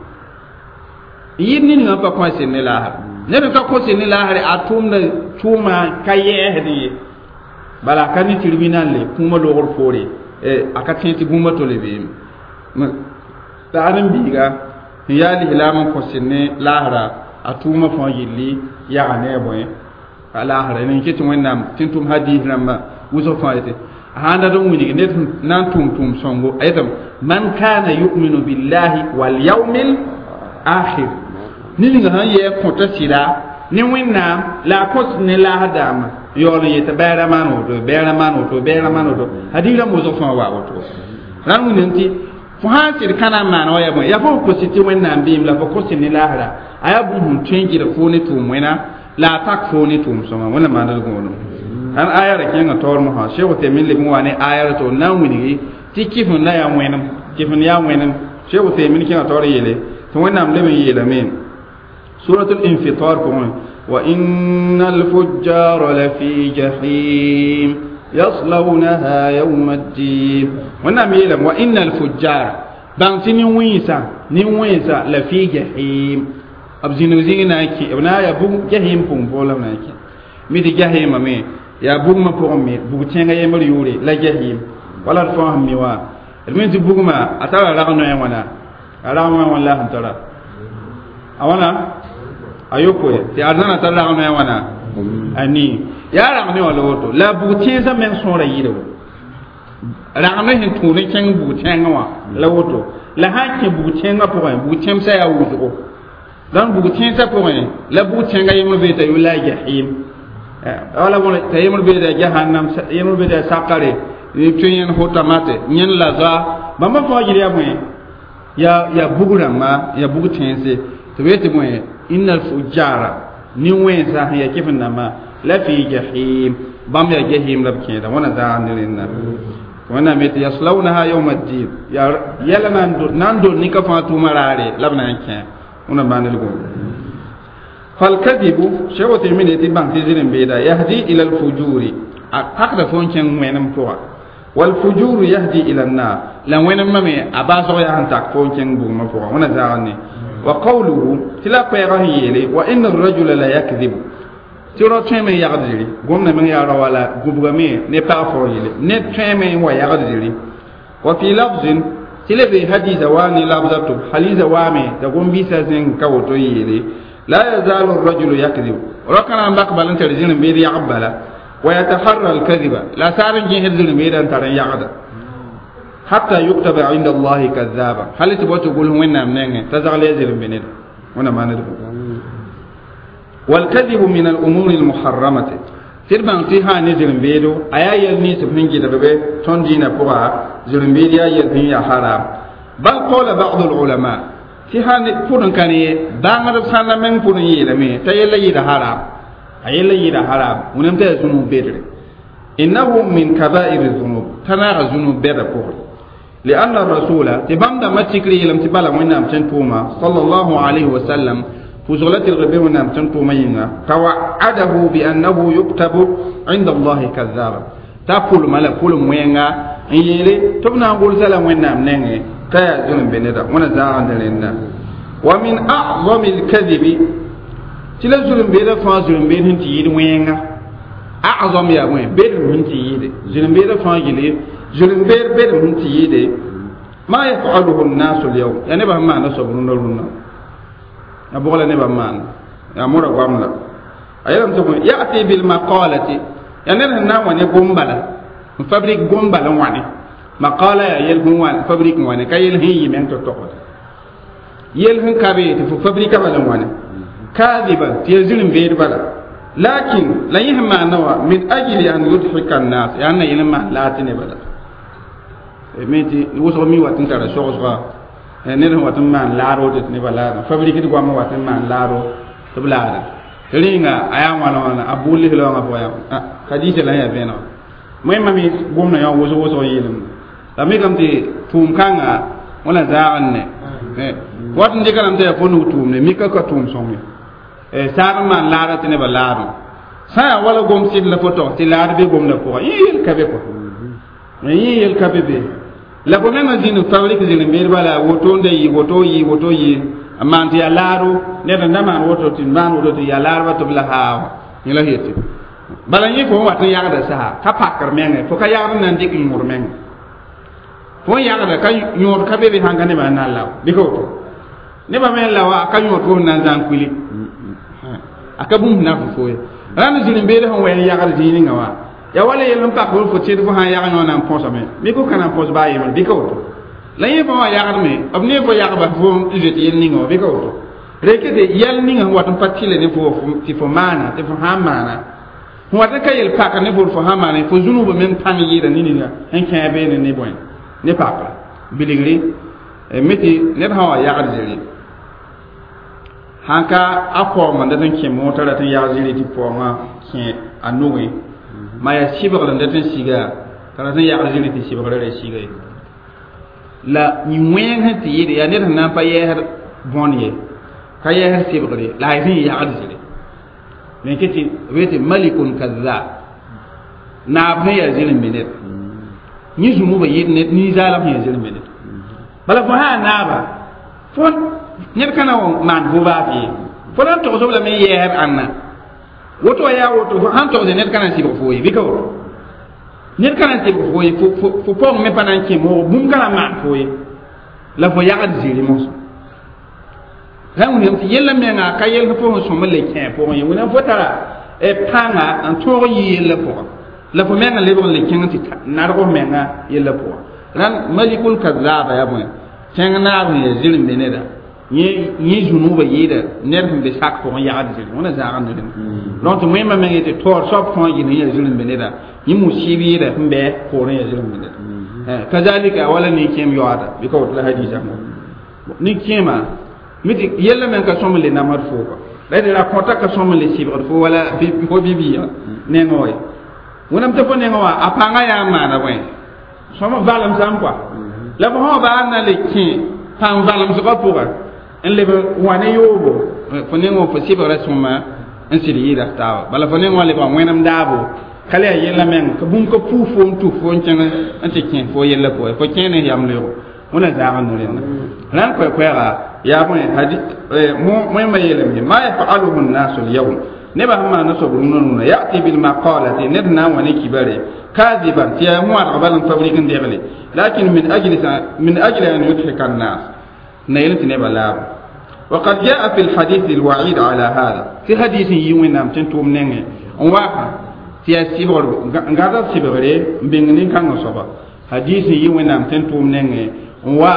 yɩɩd niningã pa kõ sɩd ne laasre ned n ka kõ sɩd ne laasre a tʋʋmda tʋʋma ka yɛɛsd ye bala a ka ne tribunal le kũumã loogr poore a ka tẽ tɩ bũmba tole beeme la ad n biiga n yaa lislaam n kõ sɩd ne laasra a tʋʋmã fãa yelli yaga ne a bõe a laasra n ket wẽnnaam tɩ n tʋm hadis rãmba wʋsg fãa yetɩ sãn dat n wilg ned na n tʋm tʋʋm sõngo a yetame man kana yuminu billahi wal yawmil akhir ninga sãn yɛɛ kõta sɩda ne wẽnnaam la a kõs ne laas dãambã yaool n yetɩ bɛɛra maan woto bɛɛra maan woto bɛɛra maan woto hadis rãmb wʋsg fãa wa woto rãnd wilg tɩ fo sãn sɩd kãna n maan wa yaa bõe yaa fo kos tɩ wẽnnaam beem la fo kos ne laasra a yaa bũmb sẽn tõe n gɩdg foo ne tʋʋm wẽna la a tak foo ne tʋʋm sõma wẽnnaam maand d gõodem ãn aya ra kẽngã taoor mosã Cheikh Uthaymin leb n wa ne aya ra tɩ na n wilgi tɩ kɩf-n la yaa wẽnem kɩf-n yaa wẽnem Cheikh Uthaymin kẽngã taoor yeele tɩ wẽnnaam leb n yeelame suratul infitar pʋgẽ wa inna alfujjara lafi jahim yaslawnaha yawma ddin wẽnnaam yeelame wa inna alfujjara bãng tɩ nin-wẽnsã nin-wẽnsã la fi jahim b zĩnig zĩig na n kẽ b na n yaa bug jahim pʋgẽ pʋgẽ la b na n kẽ mi tɩ jahimame yaa bugmã pʋgẽ me bug tẽngã yembr yʋʋre la jahim wala d fãa sẽn mi wã d me tɩ bugmã a tara rag noɛ wãna a rag noɛ wãn la sẽn tara a wãna a yopoe tɩ arzãna tar rag noɛ wãna a nii yaa rag ne wã la woto la bug tẽnsã meng sõora yɩɩda woto rag ne sẽn tũud n kẽng bug tẽngã wã la woto la sãn kẽ bug tẽngã pʋgẽ bug tẽmsã yaa wʋsgo dãn bug tẽnsã pʋgẽ la bug tẽngã yembr bee t'a yʋ la jahim wala bõn t'a yembr bee t'a jahannam yembr bee t'a sakare tɩ yẽn hotamate yẽn laza bãmba fãa yɩl yaa bõe yaa yaa bug rãmba yaa bug tẽnse tɩ b yetɩ bõe inna alfujara nin-wẽnsã sẽn yaa kɩf n dãmbã la fi jahim bãmb yaa jahim la b kẽeda wãna zaag ne rẽnda wẽnnaam yetɩ yaslawnaha yawma ddin yaa yɛla na n dol nin-ka fãa tʋʋmã raare la b na n kẽ wẽna maand d gõo falkadibu Cheikh Uthaymin yetɩ bãng tɩ zĩr n beeda yahdi ila alfujuri a pakda fo n kẽng wẽnem pʋga walfujuru yahdi ila annar la wẽnemã me a baasg yaa sẽn tak fo n kẽng bugmã pʋga wẽna zaag ne wa qawluhu tɩ la koɛɛgã sẽn yeele wa inna arrajula la yakdibu tɩ rao tõeme n yagd zĩri gomda meng yaa rao wala gũbgame ne pag fao yele ned tõeme n wa yagd zĩri wa fi lafzin tɩ le bee hadiisa waa ne labza tʋb haliisa waame t'a gom-biisã zẽng ka woto n yeele la yazalu arrajulu yakdibu rao-kãna n bak bal n tar zĩr n beed yagb bala wa yataharra alkadiba la saar n gẽsd zĩr n beeda n tar n yagda hatta yuktaba inda allahi kazaba hal tɩ bao tɩ gʋls wẽnnaam nengẽ t'a zagl ya zĩr n be neda wẽna maand d والكذب من الأمور المحرمة tɩ d bãng tɩ sã ne zĩr-n-beedo a yaa yɛl nins b sẽn gɩdgbe tõnd dĩinã pʋga zĩr-n-beed yaa yɛl sẽn yaa haram bal qala ba'd al-ulama tɩ sã pʋd n ka ne bãngdb sãnda meng pʋd n yeelame t'a yella yɩɩda haram a yella yɩɩda haram wẽnnaam t'a yaa zũnug bedre innahu min kaba'ir dhunub t'a naaga zũnug bɛda pʋgẽ لأن الرسول تبام دا ما تكري لم تبالا وين تنتوما صلى الله عليه وسلم فزغلت الغبي ونام تنتوما ينغا توعده بأنه يكتب عند الله كذابا تقول مالا قول موينغا يلي تبنا نقول سلام وين نينغي كيا زلم بندا وانا زاغن دلنا ومن أعظم الكذب تلا زلم بيدا فا زلم بيد هنتي يد وينغا أعظم يا وين بيد هنتي يد زلم بيدا فا يلي زلم بيد بيد هنتي يد ما يفعله الناس اليوم يعني بهم ما نصبرون لنا a bʋgla nebã n maan yaa mora goam la Ayam to ya'ti bil maqalati ya ned sẽn na n wa ne gom-bala n fabrik gom-bala n wa ne maqala ya yel sẽn wa fabrik n wa ne ka yel sẽn yɩ meng tɩ togd yel sẽn ka be tɩ fo fabrika bala n wa ne kadiban tɩ ya zĩr-n-beed bala lakin la yẽ sẽn maana wa min ajli an yudhika annas yaa na yel n maan laa tɩ ne bala me tɩ wʋsg mi wat n tara sogsga ned sẽn wat n maan laado tɩ nebã laadã fabrikd goamã wat n maan laado tɩ b laada rẽnga a yaa wãna wãna a bʋʋl lislaoongã pʋgã yaa hadisa la yaa vẽenega wẽnnaam me gomdã yã wʋsg wʋsg yeelem la mikame tɩ tʋʋm kãnga wẽna zaag n ne wat n dɩka lame tɩ yaa fo nug tʋʋmde mika ka tʋʋm sõng ye saad n maan laada tɩ nebã laadẽ sã yaa wala gom sɩd la fo tog tɩ laad be gomdã pʋgã yẽ yel ka be kɔ yẽ yel ka be be la fo mengã zĩnd fabrik zĩnd-beed bala woto n da yɩ woto yɩ woto yɩ n maan tɩ yaa laado ned n da maan woto tɩ maan woto tɩ yaa laadba tɩ b la haawã yẽ la yetɩ bala yẽ fo n wat n yagda saha ka pakr mengẽ fo ka yagd n na n dɩk yõod mengẽ fo n yagda ka yõod ka be be sãn ka nebã n na n lao bɩ ka woto nebã me n lawa ka yõod fo sẽn na n zãng kuili a ka bũmb na fo fo ye rãnd zĩnd-beed sẽn wa n yagd zĩig ninga wã ya wala yel n pak fo tẽd fo sãn yag yõ na n põsame mik fo ka na n põs baa yembre bɩ ka woto la yẽ fo wã yagdme b ne fo yagba fo n zoet yel ninga wã bɩ ka woto reke tɩ yɛl ninga sẽn wat n pa tɩle ne fo tɩ fo maana tɩ fo sãn maana sẽn wat n ka yel pak ne fo fo sãn maana fo zũnubã meng pãng yɩɩda ne ninga sẽn kẽe beene ne bõe ne pakra bilgri me tɩ ned sã wa yagd zĩri sãn ka a paoongã dat n kẽ mootã rat n yag zĩri tɩ paoongã kẽ a nugẽ ma yaa sɩbgr n dat n siga t'a rat n yagd zĩri tɩ sɩbgrã ra siga ye la wẽeng sẽn tɩ yɩɩd yaa ned sẽn na n pa yɛɛsd bõn ye ka yɛɛsd sɩbgre la a sẽn yagd zĩri me ke tɩ b yetɩ malikun kazab naab sẽn yaa zĩr-n-be ned yẽ zũnubã yɩɩd ned ninsaalem sẽn yaa zĩr-n-be ned bala fo sã naaba fo ned ka na wa maan fo baaf ye fo na n togs b lame n yɛɛsd ãnna woto wa yaa woto sãn togsẽ ned ka na n sɩbg fo ye bɩ ka woto ned ka na n sɩbg fo ye fo paoong me pa na n kẽ moogo bũmb ka na n maan fo ye la fo yagd zĩri mosã sã n wilgame tɩ yellã menga ka yell fo sẽn sõm n le kẽ pʋgẽ ye wẽnnaam fo tara pãnga n tõog n yɩ yellã pʋgã la fo menga lebg n le kẽng tɩ narg f menga yellã pʋgã rãnd malikul kazaba yaa bõe kẽng naab sẽn yaa zĩr-n-be neda yẽ zũnubã yɩɩda ned sẽn be sak pʋgẽ yagd zĩri wẽna zãag n ne rẽnd donc tɩ wẽmba meng yetɩ taoor soab fãa yɩl sẽn yaa zĩr-n-be neda yẽ musib yɩɩda sẽn bɩ poorẽ yaa zĩr-n-be neda kazalika wala nin-kẽem yaoada bɩ ka woto la hadisa nin-kẽema mi tɩ yellã meng ka sõm n le namd fo kɔ la d ra kõta ka sõm n le sɩbgd fo wala fo bi-biiga nengã wa ye wẽnnaam tɩ fo nengã wã a pãngã yaa n maana bõe sõm valemsame kɔa la fo sã baa na le kẽ pãng valemsgã pʋga n leb wã ne yoobo fo nengã wã fo sɩbgrã sõma n sɩd yɩɩda taaba bala fo nengã wã lebga wẽnem daabo ka le yaa yellã meng ka bũmb ka puu fo n tus fo n kẽng n tɩ kẽ fo yellã pʋgẽ fo kẽ ne yam leoogo wẽna zaag n ne rẽnda rãnd koɛ-koɛɛga yaa bõe wẽmba yeelame ma yafaluhu nnasu lyawm nebã sẽn maana soab rũnã rũnã yati bilmaqalati ned na n wa ne kibare kadiban tɩ yaa wãadg bal n fabrik n degle lakin min ajli min ajli an yudhika annas na yel tɩ nebã laabo وقد جاء في الحديث الوعيد على هذا في حديث يوين tɩ tʋʋm nengẽ n waaka tɩ yaa sɩbgr n gãd sɩbgre n bĩng nin-kãngã soaba hadis n yɩ wẽnnaam tɩ n tʋʋm nengẽ n wa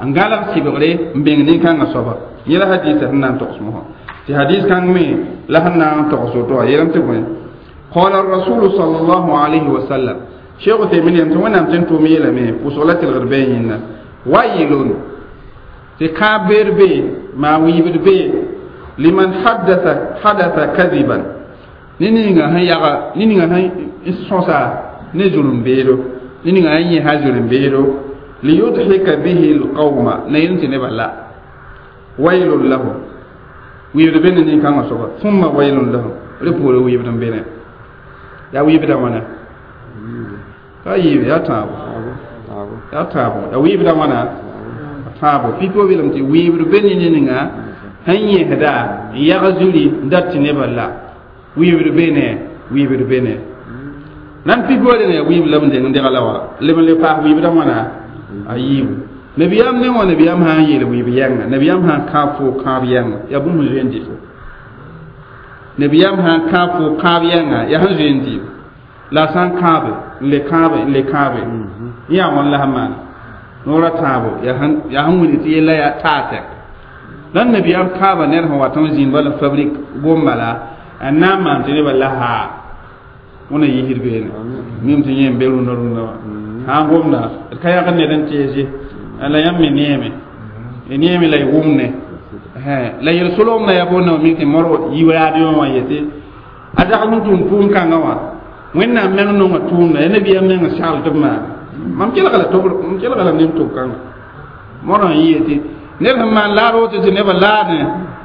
n gãlg sɩbgre n bĩng nin-kãngã soaba yẽ la hadisa sẽn na n togs mosã tɩ hadis kãng me la sẽn na n togs woto wã yeelame tɩ bõe قال الرسول صلى الله عليه وسلم شيخ تيمين يم tɩ wẽnnaam tɩ n tʋʋm yeelame pʋsg la tɩlgd bee yẽnda wailun tɩ kãab beer be maa wiibd be liman hadatha hadatha kadiban ne ninga sẽn yaga ne ninga sẽn sõsa ne zulum-beedo ne ninga sẽn yẽsa zulum-beedo liyudhika bihi alqawma na yel tɩ nebã la wailun lahu wiibd be ne nin-kãngã soaba thumma wailun lahu rẽ poore wiibd n be ne yaa wiibdã wãna ka yiib yaa tãabo yaa tãabo yaa wiibdã wãna tãabo pipi wa belem tɩ wiibd be ne ninga sẽn yẽsda n yag zuri n dat tɩ nebã la wiibd be ne wiibd be ne nan pipi wa dẽna yaa wiib la b deng n degla wã leb n le paas wiibdã wãna a yiibu nabiyaam ne wã nabiyaam sã n yeel wiib yɛnga nabiyaam sã n kãab fo kãab yɛnga yaa bũmb sẽn zoe n dɩ fo Nabiyam sã n kãab fo kãab yɛnga yaa sẽn zoe n dɩɩb la a sã n kãabe n le kãabe n le kãabe yã wãn la sẽn maana noorã tãabo yaa sẽn wilg tɩ yella yaa taa tɛk la nabiyaam kãaba ned sẽn wat n zĩnd bala fabrik gom bala n na n maan tɩ nebã la haa wẽna yisd beene mim tɩ yẽ n be rũndã rũndã wã sã n gomda d ka yagd ned n teese la yãmb me neeme y neeme la y wʋmne la yel-solgmda yaa boonda mi tɩ modg yi raadiõ wã yetɩ a zagl n tʋʋm tʋʋm kãngã wã wẽnnaam meng nonga tʋʋmda ya nabiyaam meng n sagl tɩ b maana mam kelga la tʋb mam kelga la nem tʋb kãnga modg n yɩ yetɩ ned sẽn maan laad woto tɩ nebã laadẽ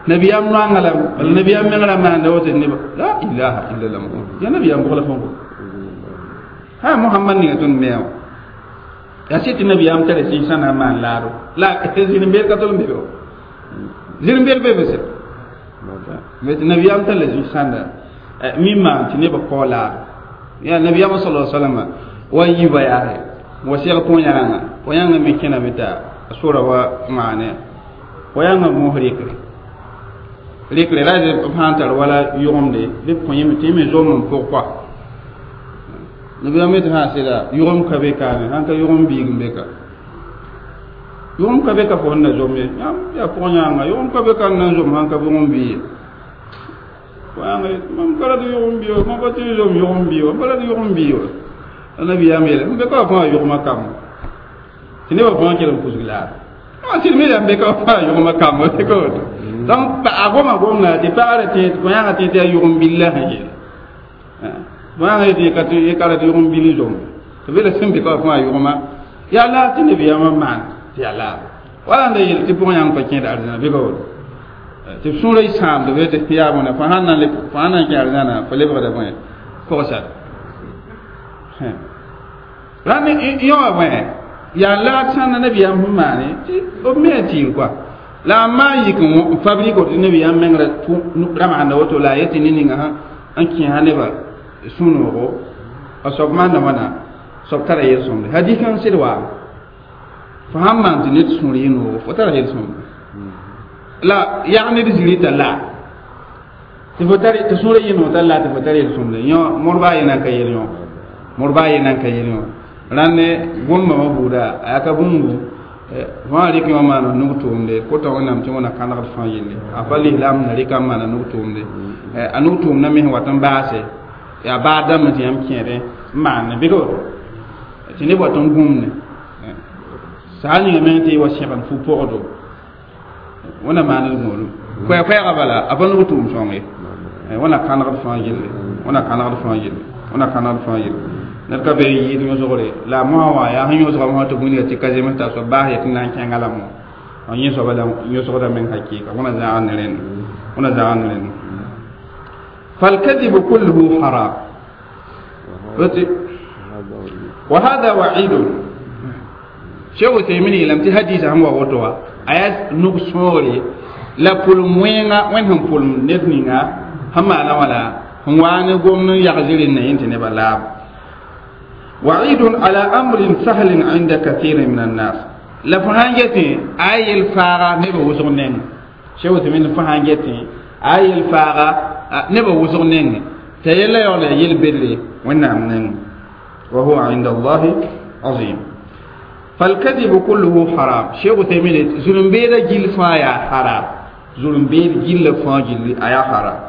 nabiyaam noanga la nabiyaam meng ra maanda woto tɩ nebã la ilaha illallah ya nabiyaam bʋg la fõn ha Muhammad ninga tõnd me wã yaa sɩd tɩ nabiyaam tara zĩig sã na n maan laado la zĩr-n-beed ka tol n be be zĩr-n-beed be be sɩd tɩ nabiyaam tar la zĩig sãnda mi maan tɩ nebã kao laado yaa nabiyaam sala salama wa n yiba yaase wa seg põyãgã põ-yãngã me kẽname t'a sora wa maane põ-yãngã moos rɩkre rɩkre ra b sã n tar wala yʋgemde bɩ b kõ yẽme tɩ yẽ me zom n pʋg kɔa nabiyaam me tɩ sã sɩda yʋgem ka be kaane sãn ka yʋgem biig n be ka yʋgem ka be ka fo sẽn na zom ye yãmb yaa pʋg-yãanga yʋgem ka be ka n na n zom sãn ka yʋgem bii ye pʋg-yãnga mam ka rat yʋgem bii wa mam pa tɩ n zom yʋgem bii wa pa rat yʋgem bii wa la nabiyaam yeele m be ka wa fãa yʋgmã kamb tɩ nebã fãa kell n kusg laado sɩd me yaa n be ka wa fãa yʋgmã kamb ka woto donc a goma gomda tɩ pagrã tẽ pʋg-yãngã tẽ tɩ yaa yʋgem bil la sẽn yeele pʋg-yãngã yetɩ ka tɩ ka rat yʋgem bil n zom tɩ be la sẽn be ka wa fãa yʋgmã yaa laad tɩ nabiyaamã maan tɩ yaa laado wala n da yel tɩ pʋg-yãng pa kẽed arzãna bɩ ka woto tɩ b sũurã y sãamd be tɩ yaa bõna fo sãn na n fo sãn na n kẽ arzãna fo lebgda bõe pʋgsar rãnd yõ wã bõe yaa laad sãnda nabiyaam sẽn maane tɩ b me a tɩɩr kɔa la a maan yik n fabrik woto nabiyaam meng ra maanda woto la a yetɩ ne ninga sã n kẽesa nebã sũ-noogo a soab maanda wãna soab tara yel-sõmde hadis n sɩd waame fo sãn maan tɩ ned sũur yɩ noogo fo tara yel-sõmde la yag ned zirita la tɩ fo tar tɩ sũurã yɩ noog t'a la tɩ fo tar yel-sõmde yõ modba a ye nan ka yel yõ modba a ye nan ka yel yõ rãnd gũnmã wã buuda a yaa ka bũmbu fãa rɩk yõ maana nug tʋʋmde kota wẽnnaam tɩ wẽna kãnegd fãa yelle a pa lislaam na rɩka n maana nug tʋʋmde a nug tʋʋmdã me sẽn wat n baase yaa baad dãmb tɩ yãmb kẽedẽ n maane bɩ ka woto tɩ neb wat n gũmne saal ninga meng tɩ y wa sẽgd fu pʋgdo wẽna maand gũudum koɛɛ-koɛɛgã bala a pa nug tʋʋm sõng ye wẽna kãnegd fãa yelle wẽna kãnegd fãa yelle wẽna kãnegd fãa yelle ned ka be n yɩɩd yõsgre la a mosã wã yaa sẽn yõsga mosã tɩ wilga tɩ ka zems t'a soab baas yetɩ na n kẽnga la mo yẽ soaba la yõsgda meng hakɩɩka wẽna zãag ne rẽnd wẽna zãag ne rẽnd فالكذب كله حرام وهذا وعيد شيخ عثيمين لم تحديث عن وغوتوا aya nug sõogre la pʋlem wẽnga wẽnd sẽn pʋlem ned ninga sẽn maana wala sẽn waa ne gomd n yag zɩrɩnd yẽ tɩ nebã laab وعيد على أمر سهل عند كثير من الناس la fo sãn getẽ a yel faaga nebã wʋsg neng Cheikh Useymin fo sãn getẽ a yel faaga nebã wʋsg neng t'a yella yaool yaa yel bedre wẽnnaam neng وهو عند الله عظيم فالكذب كله حرام شيخ عثيمين ظلم بيدا جيل فايا حرام ظلم بيد جيل فا جيل ايا حرام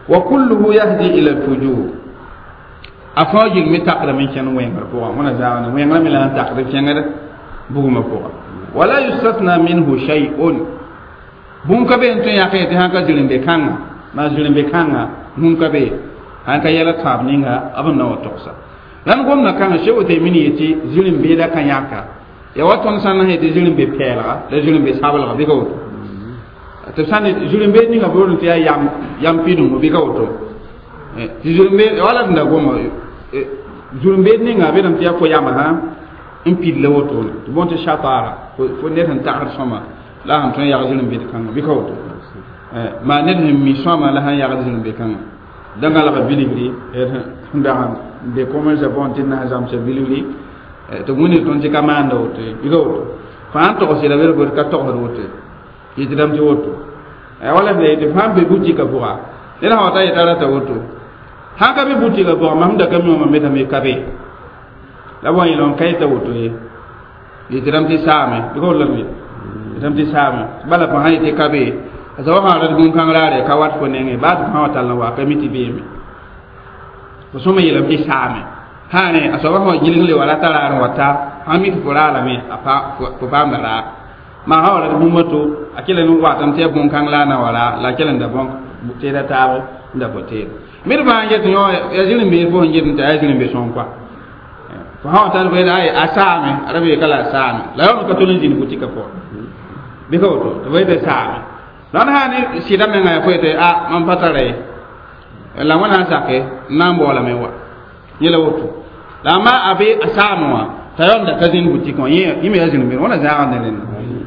وكله يهدي الى الفجور افاجل مي تقدر من كان وين بوغا وانا زاwana وين مي لا تقدر كان بوغما بوغا ولا يستثنى منه شيء bũmb ka be n tõe n yãk tɩ sãn ka zĩrĩmbe kãnga maa zĩrĩmbe kãnga bũmb ka be sãn ka yɛla tãab ninga b n na wa togsa rãnd gomdã kãngã Cheikh Uthaymin yetɩ zĩrĩm-beeda ka yãka ya wa tõnd sã n yetɩ zĩrĩmbe pɛɛlga la zĩrĩmbe sabelga bɩ ka woto tɩ b sã n zĩrĩmbeed ninga boolẽ tɩ yaa yam yam pidungu bɩ ka woto tɩ zĩrĩmbeed wala d da goma zĩrĩmbeed ninga be dame tɩ yaa fo yama sã n pid la wotone tɩ bõn tɩ shatara fo ned sẽn tagd sõma la sẽn tõe n yag zĩrĩmbeed kãnga bɩ ka woto maa ned sẽn mi sõama la sẽn yagd zĩrĩmbe kãnga da gãlga bilgri n dag n be commerce pʋgẽ tɩ na zãmsa bilgri tɩ wĩnir tõnd tɩ ka maanda woto ye bɩ ka woto fãa n togs yɛla bel ka togsd woto ye yetɩ dãmb tɩ woto Wala f la yetɩ fãa n be butikã pʋga ned sã wa ta yetã rata woto sãn ka be butikã pʋga mam da ka mi wã mam metame ka be la b wa yẽlg n ka yeta woto ye yetɩ rãmb tɩ saame bɩ ka woto la yetame tɩ saame bala fo sã yetɩ ka be a soaba sã rat bũn-kãng raare ka wat fo nengẽ baa tɩ fãa wa tall n wa ka mi tɩ beeme fo sõma yeelame tɩ saame sã ne a soaba sã wa gilg le wa rata raar n wa ta sã mi tɩ fo raalame a fo paamda raar maa sã wa rat bũmb to a kell n watame tɩ yaa bũn-kãng la a na wa raa la a kell n da bõn teeda taab n da fo teeda mid fãa n get yõ ya zĩr-n-beed fo sẽn get n t'a yaa zĩr-n-be-sõng kɔa fo sã wa tar fo yeta ay a saame a ra bee ka la a saame la yaool ka tol n zĩnd butikã pʋgẽ bɩ ka woto tɩ fo yetɩ saame la sã ne sɩda menga yaa fo yetɩ a mam pa tara ye la wẽnnaam sake n na n baoolame wa yẽla woto la a ma a be a saame wã t'a yaool da ka zĩnd butikã wã yẽ me yaa zĩr-n-beed wãna zãagd ne rẽnda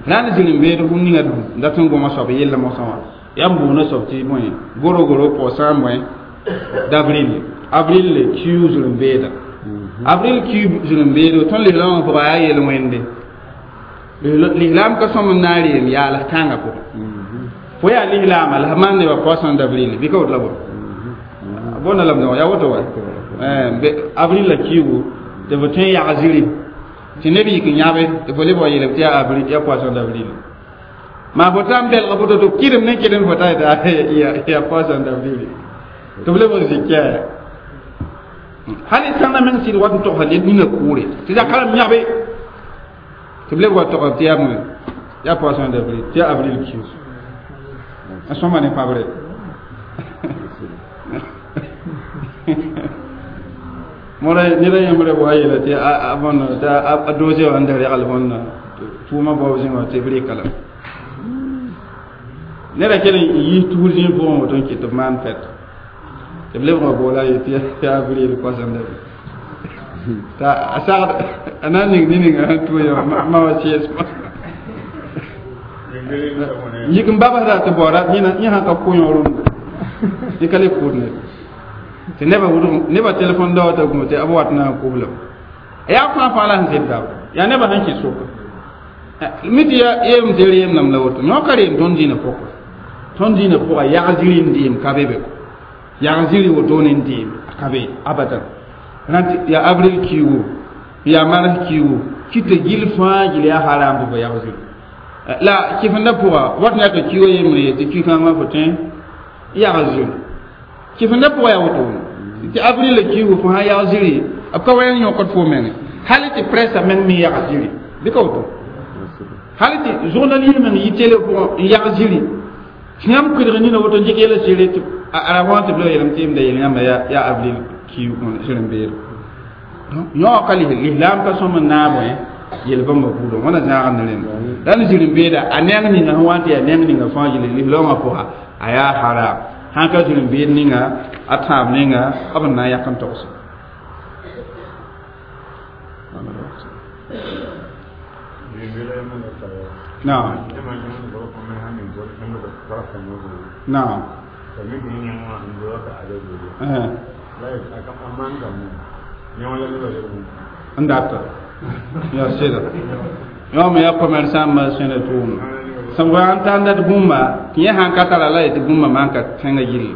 la n zĩr-n-beed fũm ninga d dat n goma soab yella mosã wã yaa n boona soab tɩ bõe goro goro poisson bõe d'avril avril le kiu zĩr-n-beeda avril kiu zĩr-n-beedo tõnd lislaamã pʋga yaa yel-wẽnde lislaam ka sõm n na n reem yaals kãngã pʋgẽ fo yaa lislaama la f maan nebã poisson d'avril bɩ ka woto la bõ bõnda lame yaa woto wa avril la kiugu tɩ fo tõe n yag ziri tɩ neb yik n yãbe tɩ fo leb wa yeelame tɩ yaa avril yaa poisson d'avril maa fo tã n belg fo to tɩ kɩrem ne kɩrem fo ta yaa poisson d'avril tɩ f leb n zĩ kɛɛ hal sãnda meng sɩd wat n togsa ned nina kʋʋre tɩ zakarem yãbe tɩ b leb wa togr tɩ yaa bõe yaa poisson d'avril tɩ yaa avril kius a sõma ne pabre mora neda yãmb wa yeela tɩ a bõn tɩ a doose wã n da regl bõn tʋʋmã baoob zĩnga tɩ b rɩka la neda kell n yis tuur zĩig pʋgẽ woto n kɩt tɩ b maan fɛt tɩ b lebg n boola a yetɩ yaa avril poisson d'avril t'a a sagd a na n ning ne-ninga sẽn tʋ ya ma wa sɩɩs yik n babsda tɩ baoora yẽ sã ka kʋ yõ rũndã yẽ ka le kʋʋd ned tɩ nebã wʋdg nebã telefon daoã t'a gũu tɩ b wat na n kʋblame yaa fãa fãa la sẽn zɩbda yaa nebã sẽn kɩt soka mi tɩ yeem tɩ reem lam la woto yõ ka reem tõnd dĩinã pʋgã tõnd dĩinã pʋga yag zĩri n dɩɩm ka be be ko yag zĩri wotone n dɩɩm a ka be abadan rãnt yaa avril kiugu yaa mars kiugu kɩ tɩ gil fãa gil yaa haram tɩ fo yag zĩri la kɩfenda pʋga wat yãka kiuga yembre ye tɩ ki-kãngã fo tõe yag zĩri kɩfenda pʋga yaa wotone tɩ avril la kiugu fo sã yag zĩri b ka wɛng yõkd fo menge hal tɩ pressa meng me yag zĩri bɩ ka woto hal tɩ journaliste meng yɩ télé pʋgẽ n yag zĩri yãmb kʋɩdg nina woto n dɩk yɛla sɩre tɩ a ra wã tɩ b la yeelame tɩ yemda yel yãmba yaa avril kiug sɩr-n-beed yõ ka lislaam ka sõm n naab yel-bãmba buudã wãna zãagd ne rẽnda la n zĩr-n-beeda a neng ninga sẽn wa n tɩ yaa neng ninga fãa gilli lislaamã pʋga a yaa haram sãn ka zĩr-n-beed ninga a tãab ninga b n na n yak n togse نعم نعم n data yaa sɩda yõ me yaa commerçant ma sẽnda tʋʋmda sẽn wa n tãnda d bũmba tɩ yẽ sãn ka tara la yetɩ bũmba maan ka tẽngã yilli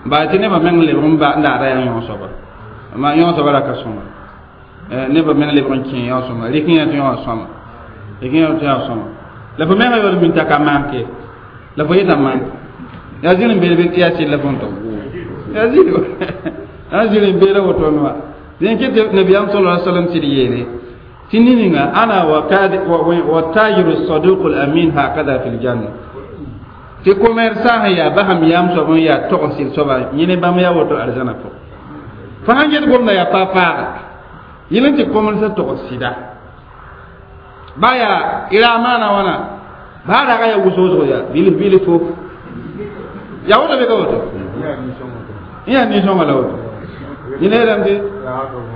baa tɩ nebã meng lebg n daada yaa yõ soaba ma yõ soaba ra ka sõma nebã meng lebg n kẽ yõ sõma rɩk yẽ tɩ yõ sõma rɩk yẽ tɩ yõ sõma la fo menga yaool min t'a ka manke la fo yeta manke yaa zĩr n beed bɩ tɩ yaa sɩd la fõn tog yaa zĩr yaa zĩr n beeda wotone wa dẽn kɩ tɩ nabiyaam sala alaihi wasallam sɩd yeele tɩ ninga ana wa tajiru saduq al amin hakada fi ljanna tɩ commerçant sẽn yaa basam yam soab n yaa tog n sɩd soaba yẽ ne bãmb yaa woto arzãna pʋgẽ fo sãn get gomda yaa pa paaga yẽl n tɩ commerçant tog sɩda ba yaa ira maana wãna baa raga yaa wʋsg yaa bilf bilf fo yaa woto bɩ ka woto yẽ yaa nin-sõnga la woto yẽl yeelame tɩ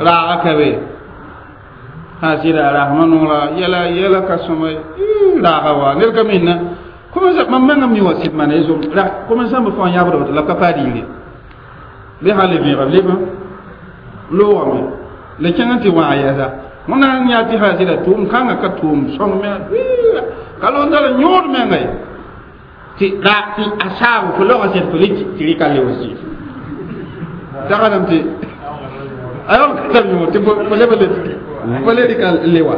raaga ka be sã sɩda rasmã noora yɛla yɛla ka sõma raaga wa ned ka minna commerçant mam mengã mi wa sɩd maana ye commerçant bɩ fãa yãbd woto la b ka paa diire bɩ sã le vẽega b leb loogame la kẽng n tɩ wãag yɛsa wẽnna n yaa tɩ sã sɩda tʋʋm kãngã ka tʋʋm sõng me ka londara yõod menga ye Tɩ ra tɩ a saabo fo logã sẽd fo le tɩ rɩka le wa zɩɩm tagadame tɩ a yaool ka tar yõor tɩ fo leb le fo le rɩka le wa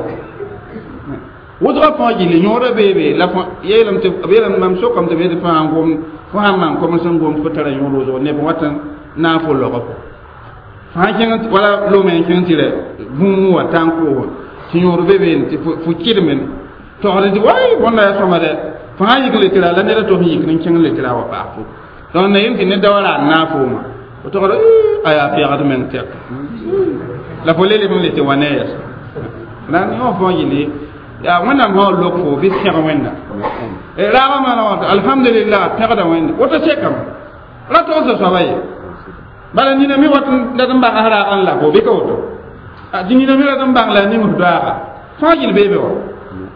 wʋsgã fãa gilli yõodã beebe la yeelame tɩ b yeelame mam sokame tɩ b yetɩ fãa n gom fo sãn maan koms n gom fo tara yõod wʋsgo neb wat n na n fo logã fo fãa kẽng wala lome n kẽng tɩ rɛ bũmb wa tã n koos tɩ yõod be beene tɩ fo kɩdemẽ togd tɩ way bõnda yaa sõma dɛ fãa yik le tɩ ra la ned a tos n yik n kẽng le tɩ ra wa paas fo donc na yem tɩ ned da wa ra n naag fooma fo togd a yaa pɛgd meng tɛk la fo le leb n le tɩ wa ne yɛs la yõ fãa gilli yaa wẽnnaam sã wa lok fo bɩ pẽg wẽnda raagã maana wã alhamdulillah pẽgda wẽnde woto sekame ra togsa soaba ye bala nina mi wat dat n bãng raagã n la fo bɩ ka woto tɩ nina mi rat n bãng la a ning f doaaga fãa gill beebe wa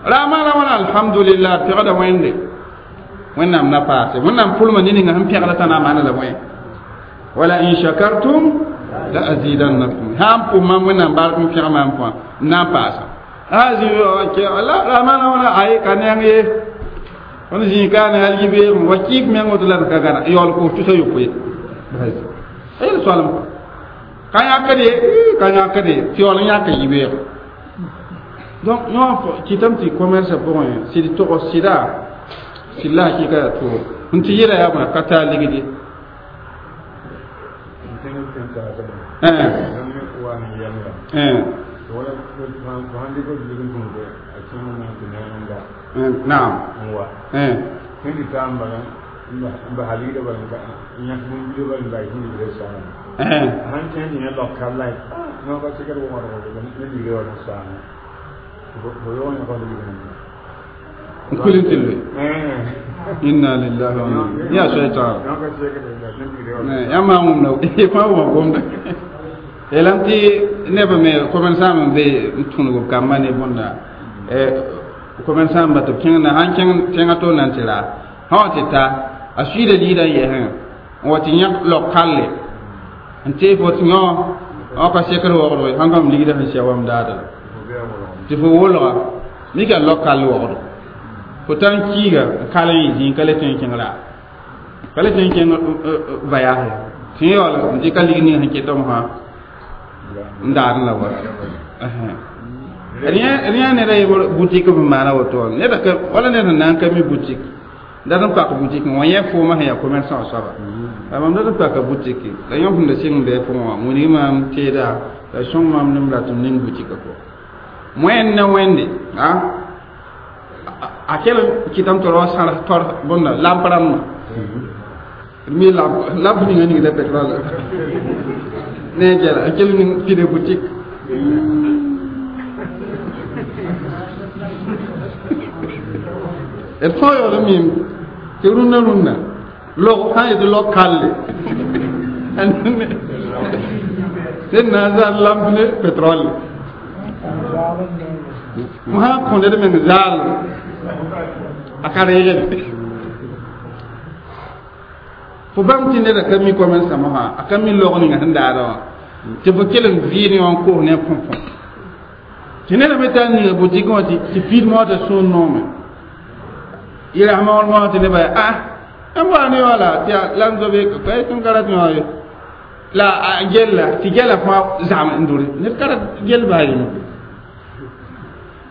ra maana wãna alhamdulillah pẽgda wẽnde wẽnnaam na paase wẽnnaam pʋlma ne ninga sẽn pẽgda t'a na n maana la wẽ wala in shakartum la azidannakum sã n pʋs mam wẽnnaam bark n pẽg maam fãa n na n paasa la ra maana wãna ay ka neng ye tõnd zĩig ka ne hal yibeoogẽ wa kɩɩk meng woto la d ka gãna yaool koos tusa yopoe a yel soalem ka yãkd ye ka yãkd ye tɩ yaool n yãka yibeoogẽ donc yõ kɩtame tɩ commerce pʋgẽ sɩd togs sɩda sɩd la hakɩka yaa toog n tɩ yɛla yaa bõe ka taa ligd ye naam n kul n tɩ loe inna lillahi wa inna ya shaitan yãmb maa wũmda fãa wʋma gomda yeelame tɩ neb me commerçant n be n tũnug b kambã ne bõnda commerçant ba tɩ b kẽng na sãn kẽng tẽngã to na n tɩ raa sã wa tɩ ta a suiida liidã n yɛsẽ n wa tɩ yãk log kalle n tee fo tɩ yõ wã ka sekr wogdgo sãn kam ligdã sẽn sɛ wam daada la tɩ fo wolga mika log kall wogdo fo tar n kiiga n kal n yɩ zĩig ka le tõe n kẽng raa ka le tõe n kẽng vayaase tɩ yẽ yaool n dɩka lig ning sẽn ketame fãa n daadẽ la wa rẽ ned a yembr boutique b maana woto wã ned ka wala ned sẽn na n ka mi boutique dat n pak boutique wã yẽ foomã sẽn yaa commerçant soaba la mam dat n paka boutique la yõ sẽn da sɩng bɩ pʋgẽ wã wilg maam teeda la sõng maam nem rat m ning boutique pʋgẽ wẽnd ne wẽnde a kell kɩtame tɩ rao sãrs tor bõnda lamp rãmbã mi lamp lamp ninga ningda pétrole ne a gɛla a kell ning pide boutique d fãa yaool n mim tɩ rũndã rũndã log sã n yetɩ log kalle ned na n zãr lamp ne pétrole fo sã n kõ ned meng zaal a ka reegd fo bãmb tɩ neda ka mi commerçã mosã a ka mi log ninga sẽn daada wã tɩ fo kell n vɩɩd yõ n koos ne põpõ tɩ neda me tar ninga boutique wã tɩ piid moosã sũur noome yɩlasmã wã moosã tɩ nebã yaa ah n wa ne wala tɩ la n zobe ka tɩ n ka rat yõ ye la a gella tɩ gɛla fãa zam n dʋre ned ka rat gell baa yem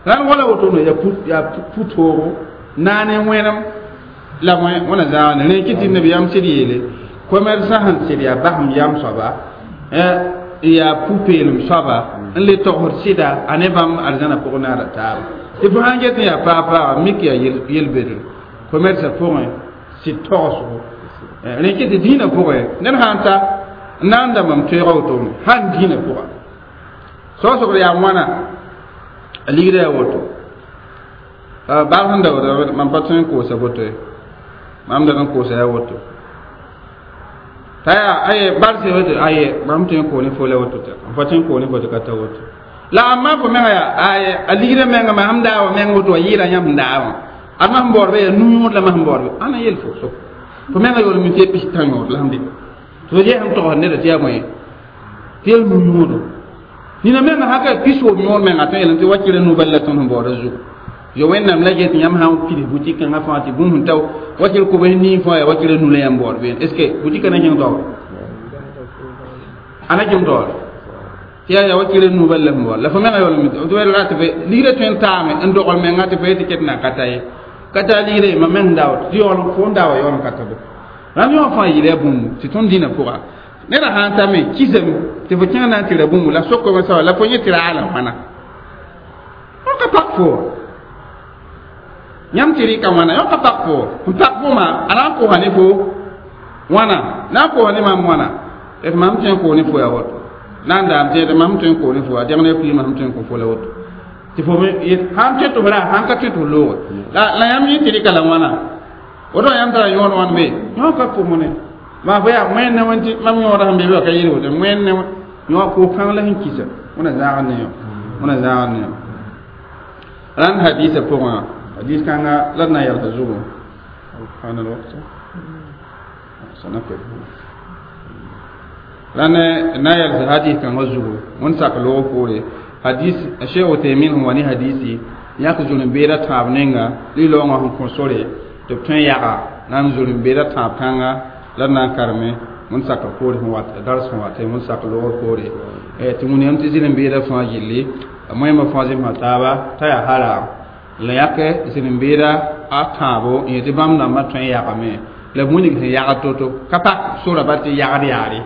la n wala wotone yaa pʋtoogo naane wẽnem la wẽna zãag ne rẽ kɩ tɩ nabiyaam sɩd yeele commerçant sẽn sɩd yaa basem yam soaba n yaa pu-peelem soaba n le togsd sɩda a ne bãmb arzãna pʋgẽ naara taaba tɩ fo sãn get n yaa paag-paaga mik yaa yel-bedr commerçã pʋgẽ sɩd togsgo rẽ kɩ tɩ dĩinã pʋgẽ ned sãn ta n na n da mam toeega wotone sãn dĩinã pʋga soasgd yaa wãna a ligda yaa woto bal sẽn da woto mam pa tõe n koosa boto ye mam dat n koosa yaa woto t'a yaa aye barse woto aye mam tõe n koos ne fo la woto tɩ m pa tõe n koos ne fo tɩ ka ta woto la amma fo menga yaa aye a ligda menga ma sẽn daa wã meng woto wa yɩɩda yãmb sẽn daa wã ad ma sẽn baoodba yaa nu-yõod la ma sẽn baoodba ãna yel fo so fo menga yaool mi tɩ yaa pis-tã yõod la sẽn dɩ tɩ fo yɛsem togsd neda tɩ yaa bõe tɩ yaa nu-yõodo nina menga sã ka pis-woob yõod menga tõe yeelame tɩ wakɩra nu bal la tõnd sẽn baooda zugu Yo wẽnnaam la get yãmb sã n pids boutique kãngã fãa tɩ bũmb sẽn tao wakɩr kobs nii fãa yaa wakɩr nu la yãmb baood beene est ce que boutique na kẽng taoore a na kẽng taoore tɩ yaa yaa wakɩr nu bal la sẽn baood la fo menga yaool ra tɩ ligrã tõe n taame n dogl menga tɩ fo yetɩ ket na ka ta ye ka taa ligre mam meng daood tɩ yaool fo n daawa yaool n ka tado rãmb yõ fãa yɩla bũmb tɩ tõnd dĩnã pʋga neda sã n tame kisame tɩ fo kẽng na n tɩ ra bũmb la sokame soaba la fo yẽ tɩ ra la wãna fo ka pak fo yãmb tɩ rɩka wãna yõ ka pak fo n pak fo ma a na n kosa ne fo wãna na n kosa ne maam wãna d mam tõe n koos ne fo yaa woto na n daam tẽed mam tõe n koos ne fo a dẽg ne kuiimã sẽm tõe n kõ fo la woto tɩ fo me sãn tõe tɩ f ra sãn ka tõe tɩ f looge la la yãmb yẽ tɩ rɩka la wãna woto yãmb tara yõod wãn be yõ ka pʋmne maa fo yaa wẽnne wẽn tɩ mam yõoda sẽn be be ka yel woto wẽnne yõ ko-kãng la sẽn kisa wẽna zãagd ne yõ wẽna zãagd ne yõ rãnd hadiisã pʋgã hadis kãnga la d na n yalsa zugu حان الوقت سنقف rãnd na yalsa hadis kãngã zugu wẽnd sak loog poore hadis Cheikh Uthaymin sẽn wa ne hadisi yãk zulem-beedã tãab ninga li-laoongã sẽn kõ sore tɩ b tõe n yaga na n zulem-beedã tãab kãnga la d na n kareme wẽnd sakr poore sẽn wat dars sẽn wat wẽnd sak loogr poore tɩ wĩniyam tɩ zĩlem-beedã fãa gilli moẽmã fãa zẽmsã taaba t'a yaa haram la yãk zĩlem-beedã a tãabo n yetɩ bãmb dãmbã tõe n yagame la b wilg sẽn yagd to-to ka pak sora bal tɩ yagd yaare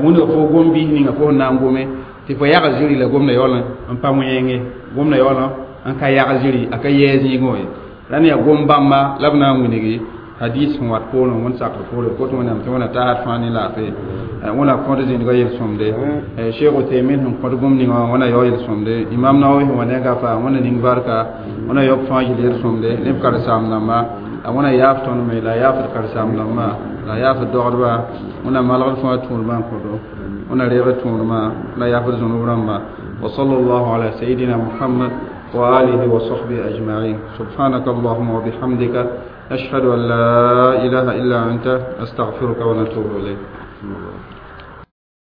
wilg fo gom-biis ninga fo sẽn na n gome tɩ fo yag zĩri la gomda yaool n pa wẽenge gomda yaool n ka yag zĩri a ka yɛɛ zĩigẽ ye la ne yaa gom bãmba la b na n wilgi hadis sẽn wat poorẽ wẽnd sakr poore kot wẽnnaam tɩ wẽna taasd fãa ne laafɩ wẽna kõt zĩndgã yel-sõmde Cheikh Uthaymin sẽn kõt bũmb ninga wã wẽna yao yel-sõmde Imam Nawawi sẽn wa ne gafa wẽna ning barka wẽna yaob fãa yel yel-sõmde ne b karen-saam dãmba wẽna yaaf tõnd me la yaafd karen-saam dãmba la yaafd dogdba wẽna malgd fãa tũudmã n kõto wẽna reegd tũudmã la yaafd zũnub rãmba وصلى الله على سيدنا محمد وآله وصحبه أجمعين سبحانك اللهم وبحمدك أشهد أن لا إله إلا أنت أستغفرك ونتوب إليك.